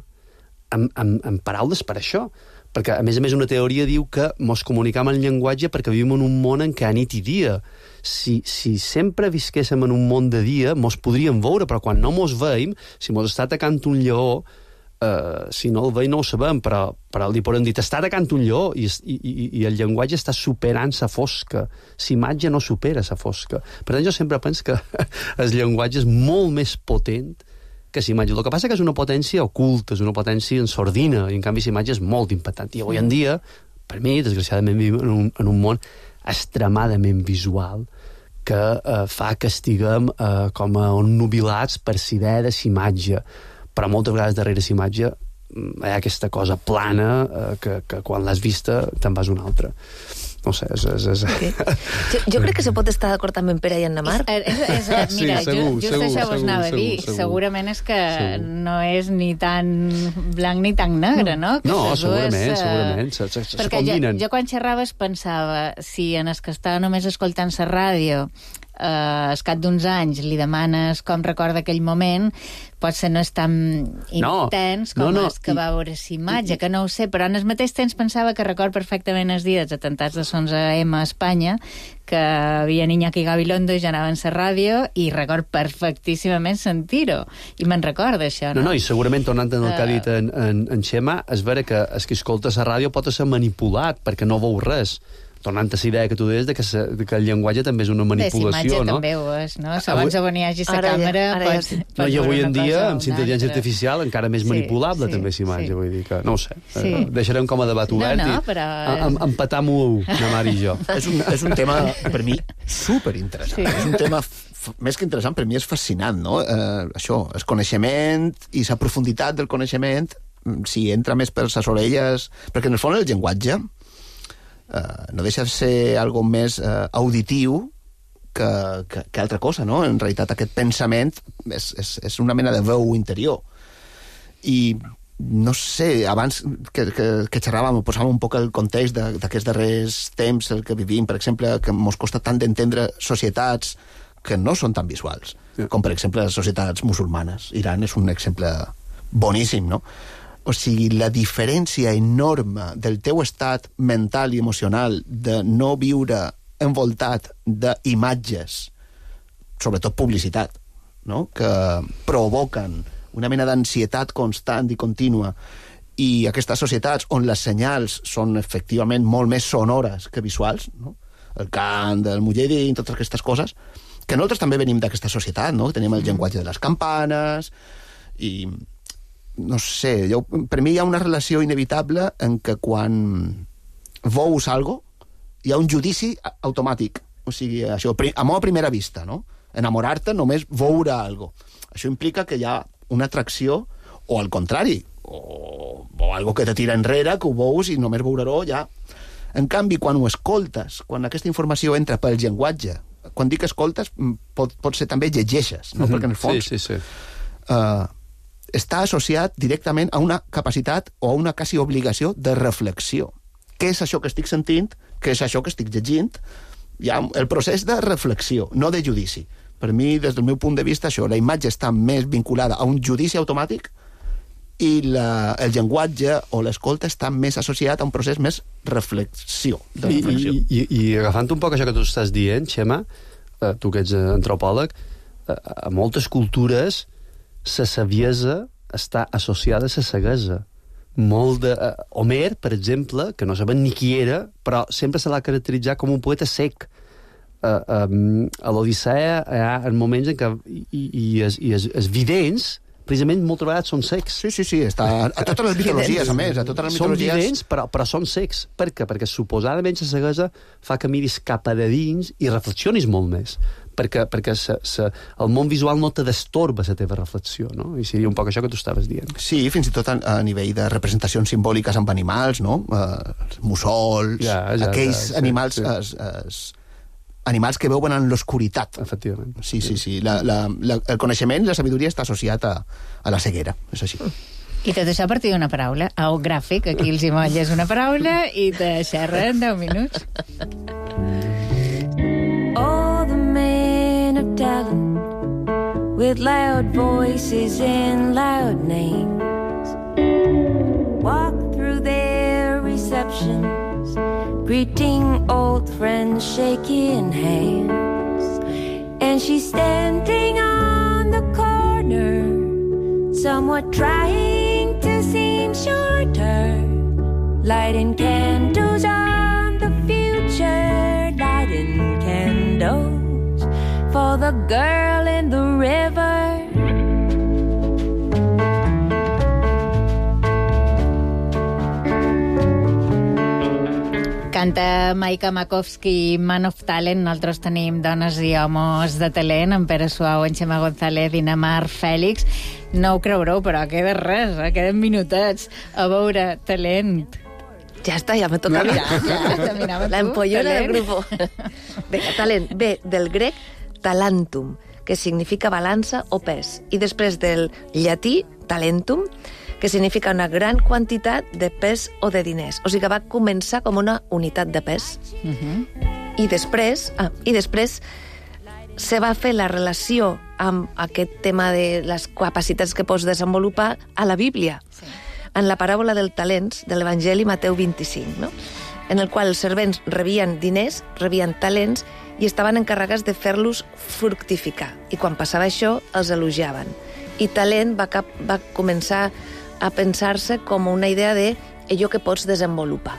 amb, amb, amb paraules per això. Perquè, a més a més, una teoria diu que mos comunicam en llenguatge perquè vivim en un món en què ha nit i dia. Si, si sempre visquéssim en un món de dia, mos podríem veure, però quan no mos veiem, si mos està atacant un lleó, Uh, si no el veig no ho sabem, però, però li podem dir, t'està atacant un lleó, i, i, i, i el llenguatge està superant sa fosca. L'imatge no supera sa fosca. Per tant, jo sempre penso que el llenguatge és molt més potent que l'imatge. El que passa que és una potència oculta, és una potència en sordina, i en canvi l'imatge és molt impactant. I avui en dia, per mi, desgraciadament, vivim en un, en un món extremadament visual que uh, fa que estiguem uh, com a nubilats per la idea de l'imatge. Però moltes vegades darrere l'imatge hi ha aquesta cosa plana eh, que, que quan l'has vista te'n vas una altra. No sé, és... és, és... Okay. Jo, jo crec que se pot estar d'acord també en Pere i en Namar. És, és, és, mira, sí, segur, just segur, això vos anava a dir. Segur, segur. Segurament és que segur. no és ni tan blanc ni tan negre, no? Que no, dues, segurament, uh... segurament. Se, se, se perquè combinen. Jo, jo quan xerraves pensava, si en els que estava només escoltant la ràdio Uh, al cap d'uns anys li demanes com recorda aquell moment, potser no és tan intens no, com no, no. és que va veure l'imatge, que no ho sé, però en el mateix temps pensava que record perfectament els dies dels atentats de l'onze eme a Espanya, que havia Iñaki Gabilondo i ja anava en la ràdio, i record perfectíssimament sentir-ho, i me'n recorda això, no? No, no, i segurament, tornant al que ha Uh, dit en, en, en Xema, és vera que el que escolta la ràdio pot ser manipulat, perquè no veu res. Tornant a la idea que tu deies de que, se, de que el llenguatge també és una manipulació, no? no? També ho és, no? Segons on hi hagi la càmera... Ara ja, pots, No, i avui en dia, amb intel·ligència artificial, encara més Sí, manipulable, sí, també, l'imatge, sí. vull dir que, no ho sé, Sí. eh, deixarem com a debat obert no, i però... em, empatam-ho, Namar i jo. És un, és un tema, per mi, superinteressant. Sí. És un tema, f- més que interessant, per mi és fascinant, no? Eh, això, el coneixement i la profunditat del coneixement, si entra més per les orelles... Perquè, en el fons, el llenguatge eh, no deixa de ser algo més eh, auditiu que, que, que altra cosa, no? En realitat, aquest pensament és, és, és una mena de veu interior. I no sé, abans que, que, que xerràvem, posàvem un poc el context d'aquests darrers temps, el que vivim, per exemple, que mos costa tant d'entendre societats que no són tan visuals, yeah. com per exemple les societats musulmanes. Iran és un exemple boníssim, no? O sigui, la diferència enorme del teu estat mental i emocional de no viure envoltat d'imatges, sobretot publicitat, no? Que provoquen una mena d'ansietat constant i contínua, i aquestes societats on les senyals són efectivament molt més sonores que visuals, no? El cant, el mujahidin, totes aquestes coses, que nosaltres també venim d'aquesta societat, no? Tenim el llenguatge de les campanes, i no sé, jo, per mi hi ha una relació inevitable en què quan veus algo hi ha un judici automàtic, o sigui, això, amor a primera vista, no? Enamorar-te només veure algo. Això implica que hi ha una atracció, o al contrari, o, o algo que te tira enrere, que ho veus i només veurà-ho ja. En canvi, quan ho escoltes, quan aquesta informació entra pel llenguatge, quan dic escoltes, pot, pot ser també llegeixes, no? Mm-hmm. Perquè en el fons sí, sí, sí. Uh, està associat directament a una capacitat o a una quasi obligació de reflexió. Què és això que estic sentint? Què és això que estic llegint? Hi ha el procés de reflexió, no de judici. Per mi, des del meu punt de vista, això, la imatge està més vinculada a un judici automàtic i la, el llenguatge o l'escolta està més associat a un procés més reflexió. De reflexió. I, i, i, i agafant un poc això que tu estàs dient, Xema, eh, tu que ets antropòleg, eh, a moltes cultures la saviesa està associada a la ceguesa. Molt de... Uh, Homer, per exemple, que no sabem ni qui era, però sempre se l'ha caracteritzat com un poeta sec. Uh, um, a l'Odissea hi ha moments en què i, i, es, i es, els vidents precisament moltes vegades són secs. Sí, sí, sí, està a totes les mitologies, a més, a totes les mitologies... Són vidents, però, però són secs. Per què? Perquè suposadament la ceguesa fa que miris cap a de dins i reflexionis molt més. perquè, perquè se, se, el món visual no te destorba la teva reflexió, no? I seria un poc això que tu estaves dient. Sí, fins i tot a, a nivell de representacions simbòliques amb animals, no? Uh, els mussols, ja, ja, aquells ja, sí, animals... Sí. Es, es, animals que veuen en l'oscuritat. Efectivament. Sí, sí, sí. La, la, la, el coneixement, la sabidoria està associat a, a la ceguera, és així. I tot això a partir d'una paraula. Au gràfic, aquí els hi molles una paraula i te xerren deu minuts. All the men of talent with loud voices and loud names walk through their receptions greeting old friends, shaking hands. And she's standing on the corner, somewhat trying to seem shorter, lighting candles on the future, lighting candles for the girl in the river. Canta Maika Makovsky, Man of Talent. Nosaltres tenim dones i homes de talent, en Pere Suau, en Xema González i Namar Fèlix. No ho creureu, però queda res, eh? Queden minutets a veure talent. Ja està, ja me toca. Ja, ja, la empollona del grupo. Vinga, talent. Ve del grec talentum, que significa balança o pes, i després del llatí talentum, que significa una gran quantitat de pes o de diners. O sigui que va començar com una unitat de pes. Uh-huh. I després, ah, i després se va fer la relació amb aquest tema de les capacitats que pots desenvolupar a la Bíblia, sí. En la paràbola del talents de l'Evangeli Mateu vint-i-cinc, no? En el qual els servents rebien diners, rebien talents i estaven encarregats de fer-los fructificar. I quan passava això, els elogiaven. I talent va, cap, va començar a pensar-se com una idea de allò que pots desenvolupar.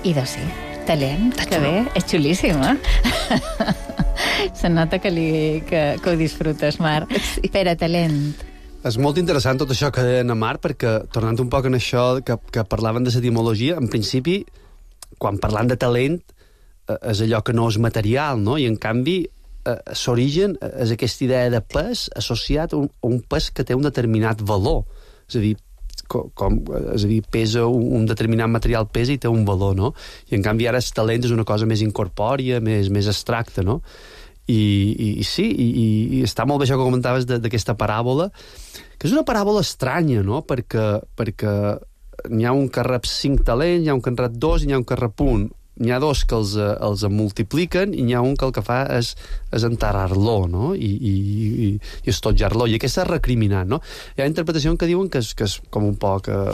I doncs sí, talent, que bé, és xulíssim, eh? Se nota que, li, que, que ho disfrutes, Mar. Sí. Pere, talent. És molt interessant tot això que deia Mar, perquè, tornant un poc en això que, que parlaven de l'etimologia, en principi, quan parlant de talent, és allò que no és material, no? I en canvi, l'origen és aquesta idea de pes associat a un, a un pes que té un determinat valor. És a dir, com, com, és a dir pesa un, un determinat material pesa i té un valor, no? I en canvi ara el talent és una cosa més incorpòria, més, més abstracta, no? I, i, i sí, i, i, i està molt bé això que comentaves d'aquesta paràbola, que és una paràbola estranya, no? Perquè, perquè n'hi ha un que rep cinc talents, n'hi ha un que en rep dos i n'hi ha un que rep un. N'hi ha dos que els, els multipliquen i n'hi ha un que el que fa és, és enterrar-lo, no? I, i, i, i estotjar-lo. I aquest és recriminant, no? Hi ha interpretacions que diuen que és, que és com un poc... Eh,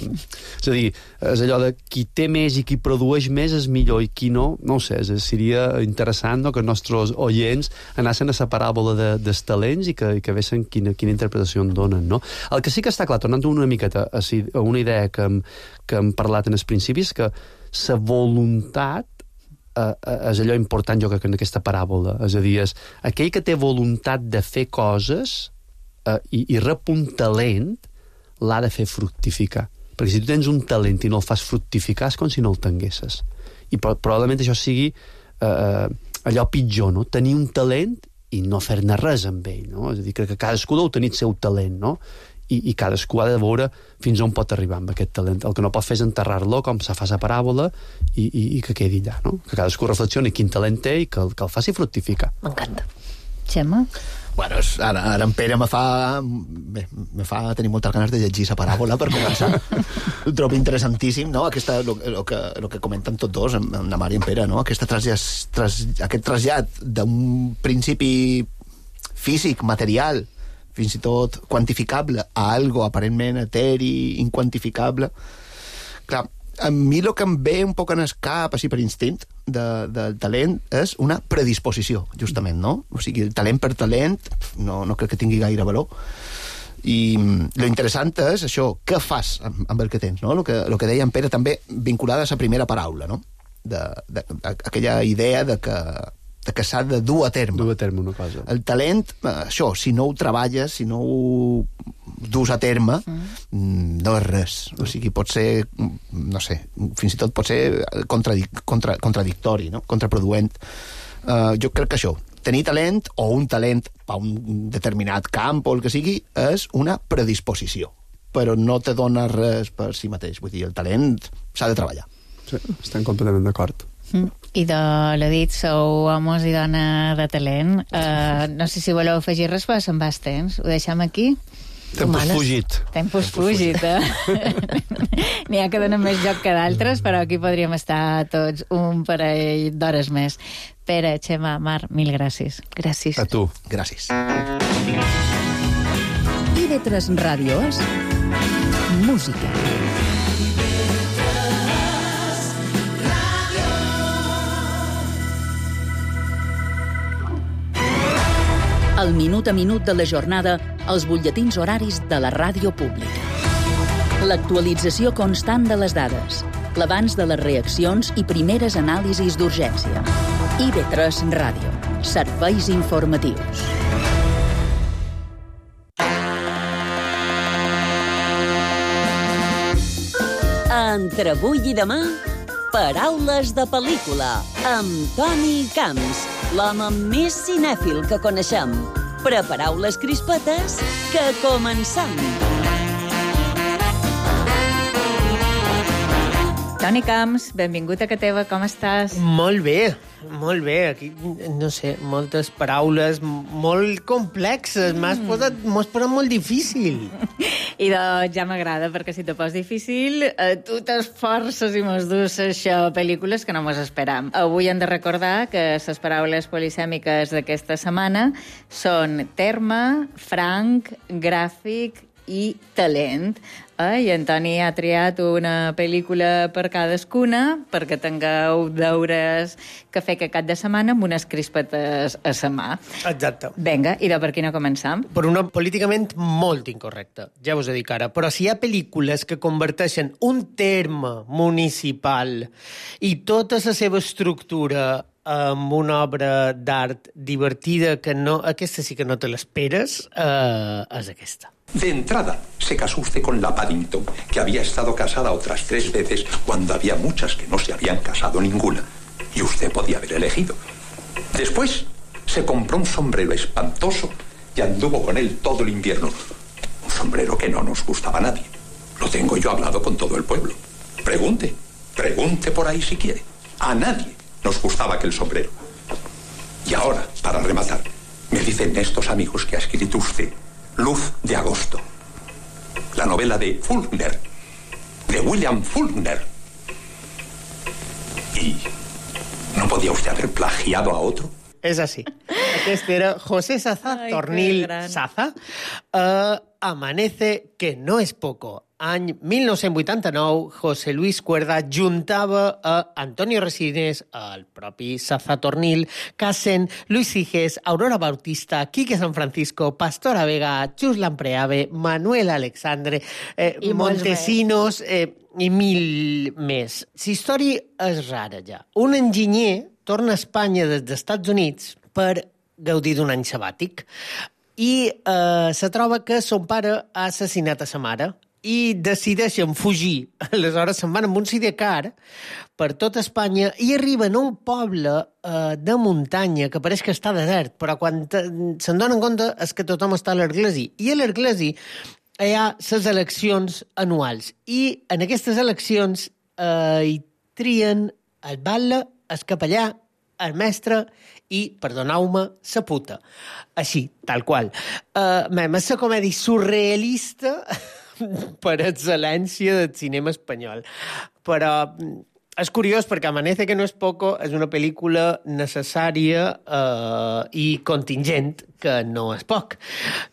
és a dir, és allò de qui té més i qui produeix més és millor i qui no, no ho sé, és, seria interessant, no?, que els nostres oients anessin a la paràbola de, dels talents i que, i que vessin quina, quina interpretació en donen, no? El que sí que està clar, tornant una miqueta a, a una idea que hem, que hem parlat en els principis, que la voluntat eh, és allò important, jo crec, en aquesta paràbola. És a dir, és aquell que té voluntat de fer coses eh, i, i rep un talent, l'ha de fer fructificar. Perquè si tu tens un talent i no el fas fructificar és com si no el tinguessis. I pro probablement això sigui eh, allò pitjor, no? Tenir un talent i no fer-ne res amb ell, no? És a dir, que cadascú deu tenir el seu talent, no? I, i cadascú ha de veure fins on pot arribar amb aquest talent. El que no pot fer és enterrar-lo, com se fa la paràbola, i, i, i que quedi allà, no? Que cadascú reflexioni quin talent té i que, que el faci fructificar. M'encanta. Xema? Bueno, ara, ara en Pere me fa, me, me fa tenir moltes ganes de llegir la paràbola per començar. Ho trobo interessantíssim, no? Aquesta, lo, lo, que, lo que comenten tots dos, en, en la Mar i en Pere, no? Aquesta trasllat, tras, aquest trasllat d'un principi físic, material, fins i tot quantificable, a algo aparentment eteri, inquantificable. Clar, a mi el que em ve un poc en el cap, així per instint, de, del talent, és una predisposició, justament, no? O sigui, el talent per talent no, no crec que tingui gaire valor. I lo interessant és això, què fas amb, amb el que tens, no? Lo que, lo que deia en Pere també, vinculada a la primera paraula, no? De, de, de, aquella idea de que de que s'ha de dur a terme. Dur a terme una cosa. El talent, això, si no ho treballes, si no ho dus a terme, mm. no és res. O sigui, pot ser, no sé, fins i tot pot ser contradic contra, contradictori, no? Contraproduent. Uh, jo crec que això, tenir talent o un talent per un determinat camp o el que sigui és una predisposició, però no te dona res per si mateix. Vull dir, el talent s'ha de treballar. Sí, estem completament d'acord. Mm. I de l'ha dit, sou homes i dona de talent. Uh, no sé si voleu afegir res, però se'n va el temps. Ho deixem aquí? Tempus fugit. Tempus fugit, eh? N'hi ha que donen més joc que d'altres, però aquí podríem estar tots un parell d'hores més. Pere, Xema, Mar, mil gràcies. Gràcies. A tu. Gràcies. I ve tres Ràdio és música. El minut a minut de la jornada, els butlletins horaris de la ràdio pública. L'actualització constant de les dades, l'abans de les reaccions i primeres anàlisis d'urgència. I ve tres Ràdio, serveis informatius. Entre avui i demà, paraules de pel·lícula, amb Toni Camps, l'home més cinèfil que coneixem. Prepareu les crispetes, que comencem! Toni Camps, benvingut a Ca Teva, com estàs? Molt bé, molt bé. Aquí, no sé, moltes paraules molt complexes. M'has posat, m'ho has posat molt difícil. I doncs ja m'agrada, perquè si te pos difícil, eh, tu t'esforces i mos dus això, pel·lícules que no mos esperam. Avui hem de recordar que les paraules polisèmiques d'aquesta setmana són terme, franc, gràfic i talent. Eh? I Antoni ha triat una pel·lícula per cadascuna perquè tingueu deures que fer que cap de setmana amb unes crispetes a sa mà. Exacte. Vinga, i de per quina començam? Per una políticament molt incorrecta, ja us ho dic ara. Però si hi ha pel·lícules que converteixen un terme municipal i tota la seva estructura amb una obra d'art divertida que no... Aquesta sí que no te l'esperes, eh, és aquesta. De entrada, se casó usted con la Paddington, que había estado casada otras tres veces cuando había muchas que no se habían casado ninguna. Y usted podía haber elegido. Después, se compró un sombrero espantoso y anduvo con él todo el invierno. Un sombrero que no nos gustaba a nadie. Lo tengo yo hablado con todo el pueblo. Pregunte, pregunte por ahí si quiere. A nadie nos gustaba aquel sombrero. Y ahora, para rematar, me dicen estos amigos que ha escrito usted Luz de agosto, la novela de Faulkner, de William Faulkner. ¿Y no podía usted haber plagiado a otro? És així. Aquest era José Saza, Ai, Tornil que gran. Saza. Uh, Amanece, que no és poco. Any mil nou-cents vuitanta-nou, José Luis Cuerda juntava a Antonio Resines, el propi Saza Tornil, Casen, Luis Siges, Aurora Bautista, Quique San Francisco, Pastora Vega, Chus Lampreave, Manuel Alexandre, eh, Montesinos eh, i mil més. La història és rara ja. Un enginyer torna a Espanya des dels Estats Units per gaudir d'un any sabàtic i eh, se troba que son pare ha assassinat a sa mare i decideixen fugir. Aleshores se'n van amb un sidecar per tot Espanya i arriben a un poble eh, de muntanya que pareix que està desert, però quan se'n donen compte és que tothom està a l'Arglesi. I a l'Arglesi hi ha les eleccions anuals i en aquestes eleccions eh, hi trien el batlle, el capellà, el mestre i, perdoneu-me, sa puta. Així, tal qual. Uh, mem, és la comèdia surrealista per excel·lència del cinema espanyol. Però és curiós perquè Amanece, que no és poco, és una pel·lícula necessària uh, i contingent, que no és poc.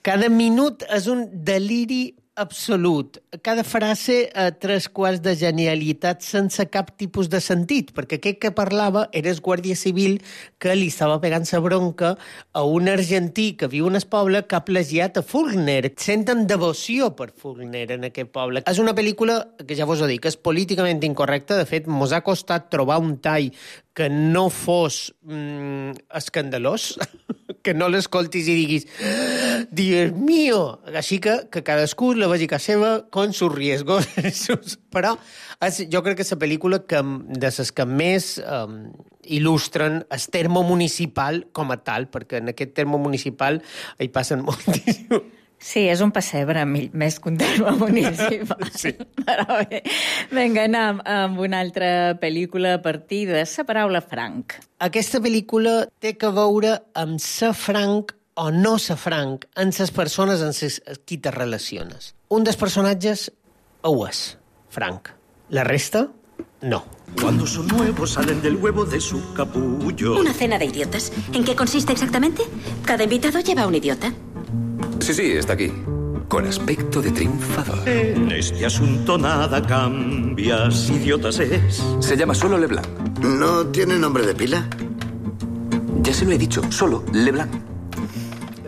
Cada minut és un deliri absolut. Cada frase a tres quarts de genialitat sense cap tipus de sentit, perquè aquest que parlava era el guàrdia civil que li estava pegant sa bronca a un argentí que viu en el poble que ha plagiat a Faulkner. Senten devoció per Faulkner en aquest poble. És una pel·lícula que ja vos ho dic, és políticament incorrecta. De fet, mos ha costat trobar un tall que no fos mm, escandalós, que no l'escoltis i diguis Dios mío! Així que, que cadascú la vegi a casa seva con sus riesgos. Però és, jo crec que és la pel·lícula que, de les que més um, il·lustren el terme municipal com a tal, perquè en aquest terme municipal hi passen moltíssim. Sí, és un pessebre més que un terme municipal. Sí. Però bé, vinga, anem amb una altra pel·lícula a partir de la paraula franc. Aquesta pel·lícula té que veure amb ser franc o no ser franc en les persones amb les qui te relaciones. Un dels personatges ho és, franc. La resta, no. Cuando son nuevos salen del huevo de su capullo. Una cena de idiotas. ¿En qué consiste exactamente? Cada invitado lleva un idiota. Sí, sí, está aquí. Con aspecto de triunfador. En este asunto nada cambias, idiotas es. Se llama solo Leblanc. ¿No tiene nombre de pila? Ya se lo he dicho, solo Leblanc.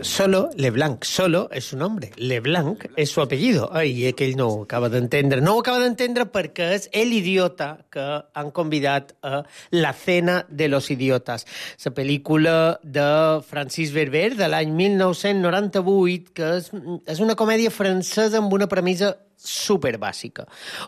Solo Leblanc. Solo és su nombre. Leblanc és su apellido. Ai, aquell no ho acaba d'entendre. No ho acaba d'entendre perquè és el idiota que han convidat a La cena de los idiotas. La pel·lícula de Francis Berber de l'any mil nou-cents noranta-vuit, que és, és una comèdia francesa amb una premissa super bàsica.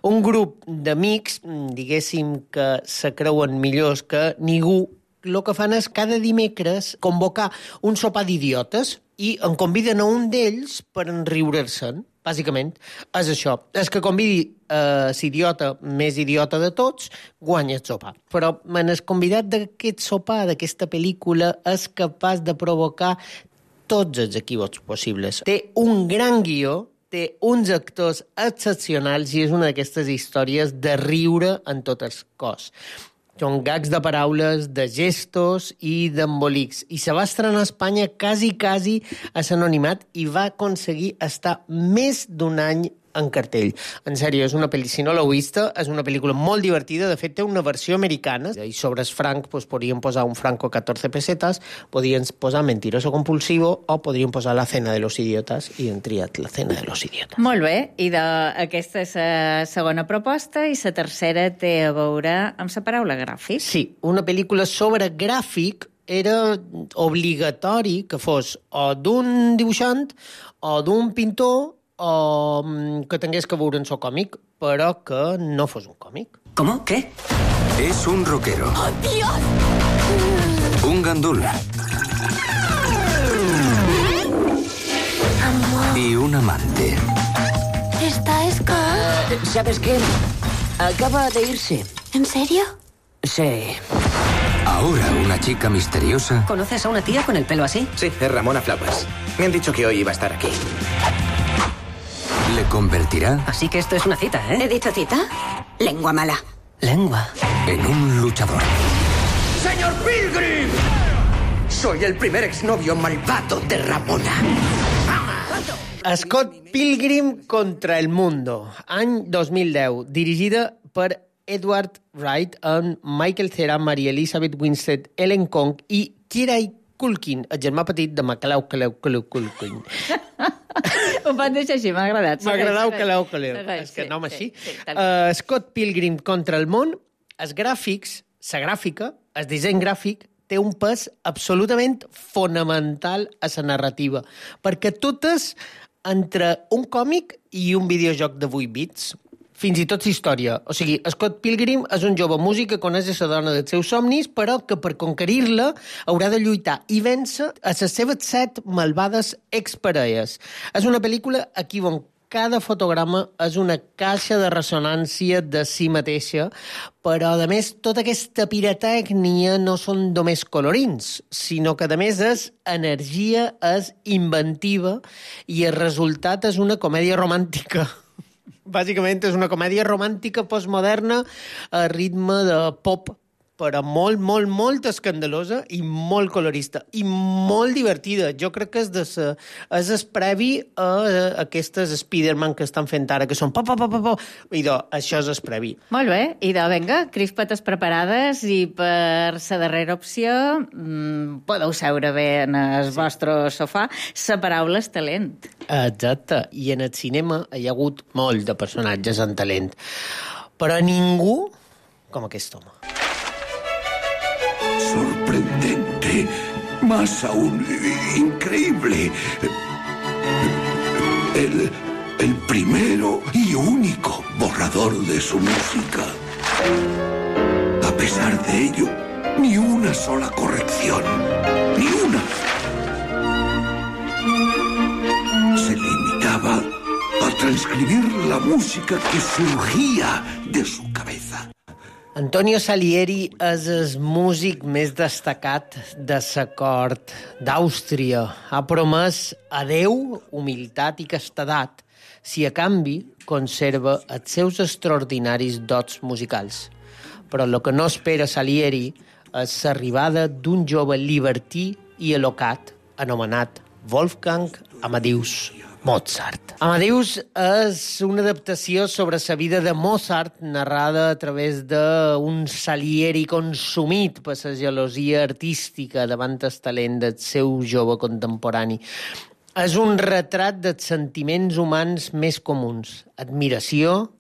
Un grup d'amics, diguéssim, que se creuen millors que ningú, el que fan és cada dimecres convocar un sopar d'idiotes i en conviden a un d'ells per enriure-se'n, bàsicament. És això. És que convidi eh, l'idiota més idiota de tots, guanya el sopar. Però en el convidat d'aquest sopar, d'aquesta pel·lícula, és capaç de provocar tots els equívocs possibles. Té un gran guió, té uns actors excepcionals i és una d'aquestes històries de riure en tot el cos. Són gags de paraules, de gestos i d'embolics. I se va estrenar a Espanya quasi, quasi a l'anonimat i va aconseguir estar més d'un any en cartell. En sèrio, és una pel·li, si no l'heu vista, és una pel·lícula molt divertida. De fet, té una versió americana. I sobre el franc, doncs, podríem posar un franco catorze pesetas, podríem posar mentiroso compulsivo o podríem posar la cena de los idiotas i hem triat la cena de los idiotas. Molt bé, i de, aquesta és la segona proposta i la tercera té a veure amb la paraula gràfic. Sí, una pel·lícula sobre gràfic era obligatori que fos o d'un dibuixant o d'un pintor o que tingués que veure en so còmic, però que no fos un còmic. ¿Cómo? ¿Qué? Es un rockero. ¡Oh, Dios! Un gandul. Amor. Y un amante. ¿Esta es Carl? Uh, ¿Sabes qué? Acaba de irse. ¿En serio? Sí. Ahora una chica misteriosa. ¿Conoces a una tía con el pelo así? Sí, es Ramona Flowers. Me han dicho que hoy iba a estar aquí. Le convertirá Así que esto es una cita, ¿eh? ¿He dicho cita? Lengua mala. Lengua. en un luchador. ¡Señor Pilgrim! Soy el primer exnovio malvado de Ramona. Scott Pilgrim contra el mundo, any dos mil deu, dirigida per Edward Wright amb Michael Cera, Mary Elizabeth Winstead, Ellen Kong i Kieran Culkin, el germà petit de Macaulay Culkin. Ho van deixar així, m'ha agradat. M'ha agradat Calau Caleu. És que nom així. Uh, Scott Pilgrim contra el món, els gràfics, la gràfica, el disseny gràfic, té un pes absolutament fonamental a la narrativa, perquè tot és entre un còmic i un videojoc de vuit bits, fins i tot història. O sigui, Scott Pilgrim és un jove músic que coneix la dona dels seus somnis, però que per conquerir-la haurà de lluitar i vèncer a les seves set malvades exparelles. És una pel·lícula aquí on cada fotograma és una caixa de ressonància de si mateixa, però, a més, tota aquesta pirotècnia no són només colorins, sinó que, a més, és energia, és inventiva, i el resultat és una comèdia romàntica. Bàsicament és una comèdia romàntica postmoderna a ritme de pop, però molt, molt, molt escandalosa i molt colorista i molt divertida. Jo crec que és, de sa, és el previ a, a aquestes Spider-Man que estan fent ara, que són pa, pa, pa, pa, pa. I de, això és el previ. Molt bé, i de, vinga, crispetes preparades, i per la darrera opció mmm, podeu seure bé en el sí. vostre sofà. La paraula és talent. Exacte, i en el cinema hi ha hagut molt de personatges en talent, però ningú com aquest home. Sorprendente. más aún increíble. El, el primero y único borrador de su música. A pesar de ello, ni una sola corrección. Ni una. Se limitaba a transcribir la música que surgía de su cabeza. Antonio Salieri és el músic més destacat de la cort d'Àustria. Ha promès a Déu humilitat i castedat, si a canvi conserva els seus extraordinaris dots musicals. Però el que no espera Salieri és l'arribada d'un jove libertí i elocat anomenat Wolfgang Amadeus Mozart. Amadeus és una adaptació sobre la vida de Mozart narrada a través d'un Salieri consumit per la gelosia artística davant el talent del seu jove contemporani. És un retrat dels sentiments humans més comuns: admiració,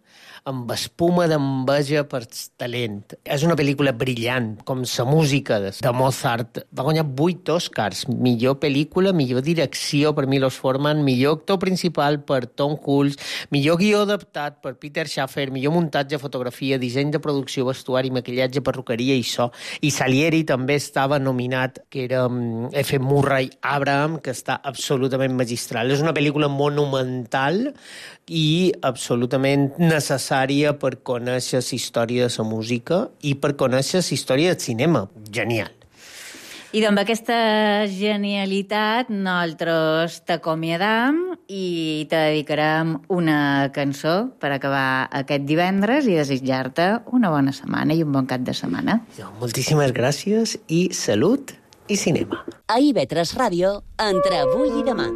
amb espuma d'enveja per talent. És una pel·lícula brillant, com la música de Mozart. Va guanyar vuit Oscars. Millor pel·lícula, millor direcció per Milos Forman, millor actor principal per Tom Hulce, millor guió adaptat per Peter Schaffer, millor muntatge, fotografia, disseny de producció, vestuari, maquillatge, perruqueria i so. I Salieri també estava nominat, que era F. Murray Abraham, que està absolutament magistral. És una pel·lícula monumental i absolutament necessària per conèixer la història de la música i per conèixer la història del cinema. Genial. I amb aquesta genialitat nosaltres t'acomiadam i te dedicarem una cançó per acabar aquest divendres i desitjar-te una bona setmana i un bon cap de setmana. Moltíssimes gràcies i salut i cinema. A I V tres Ràdio, entre avui i demà.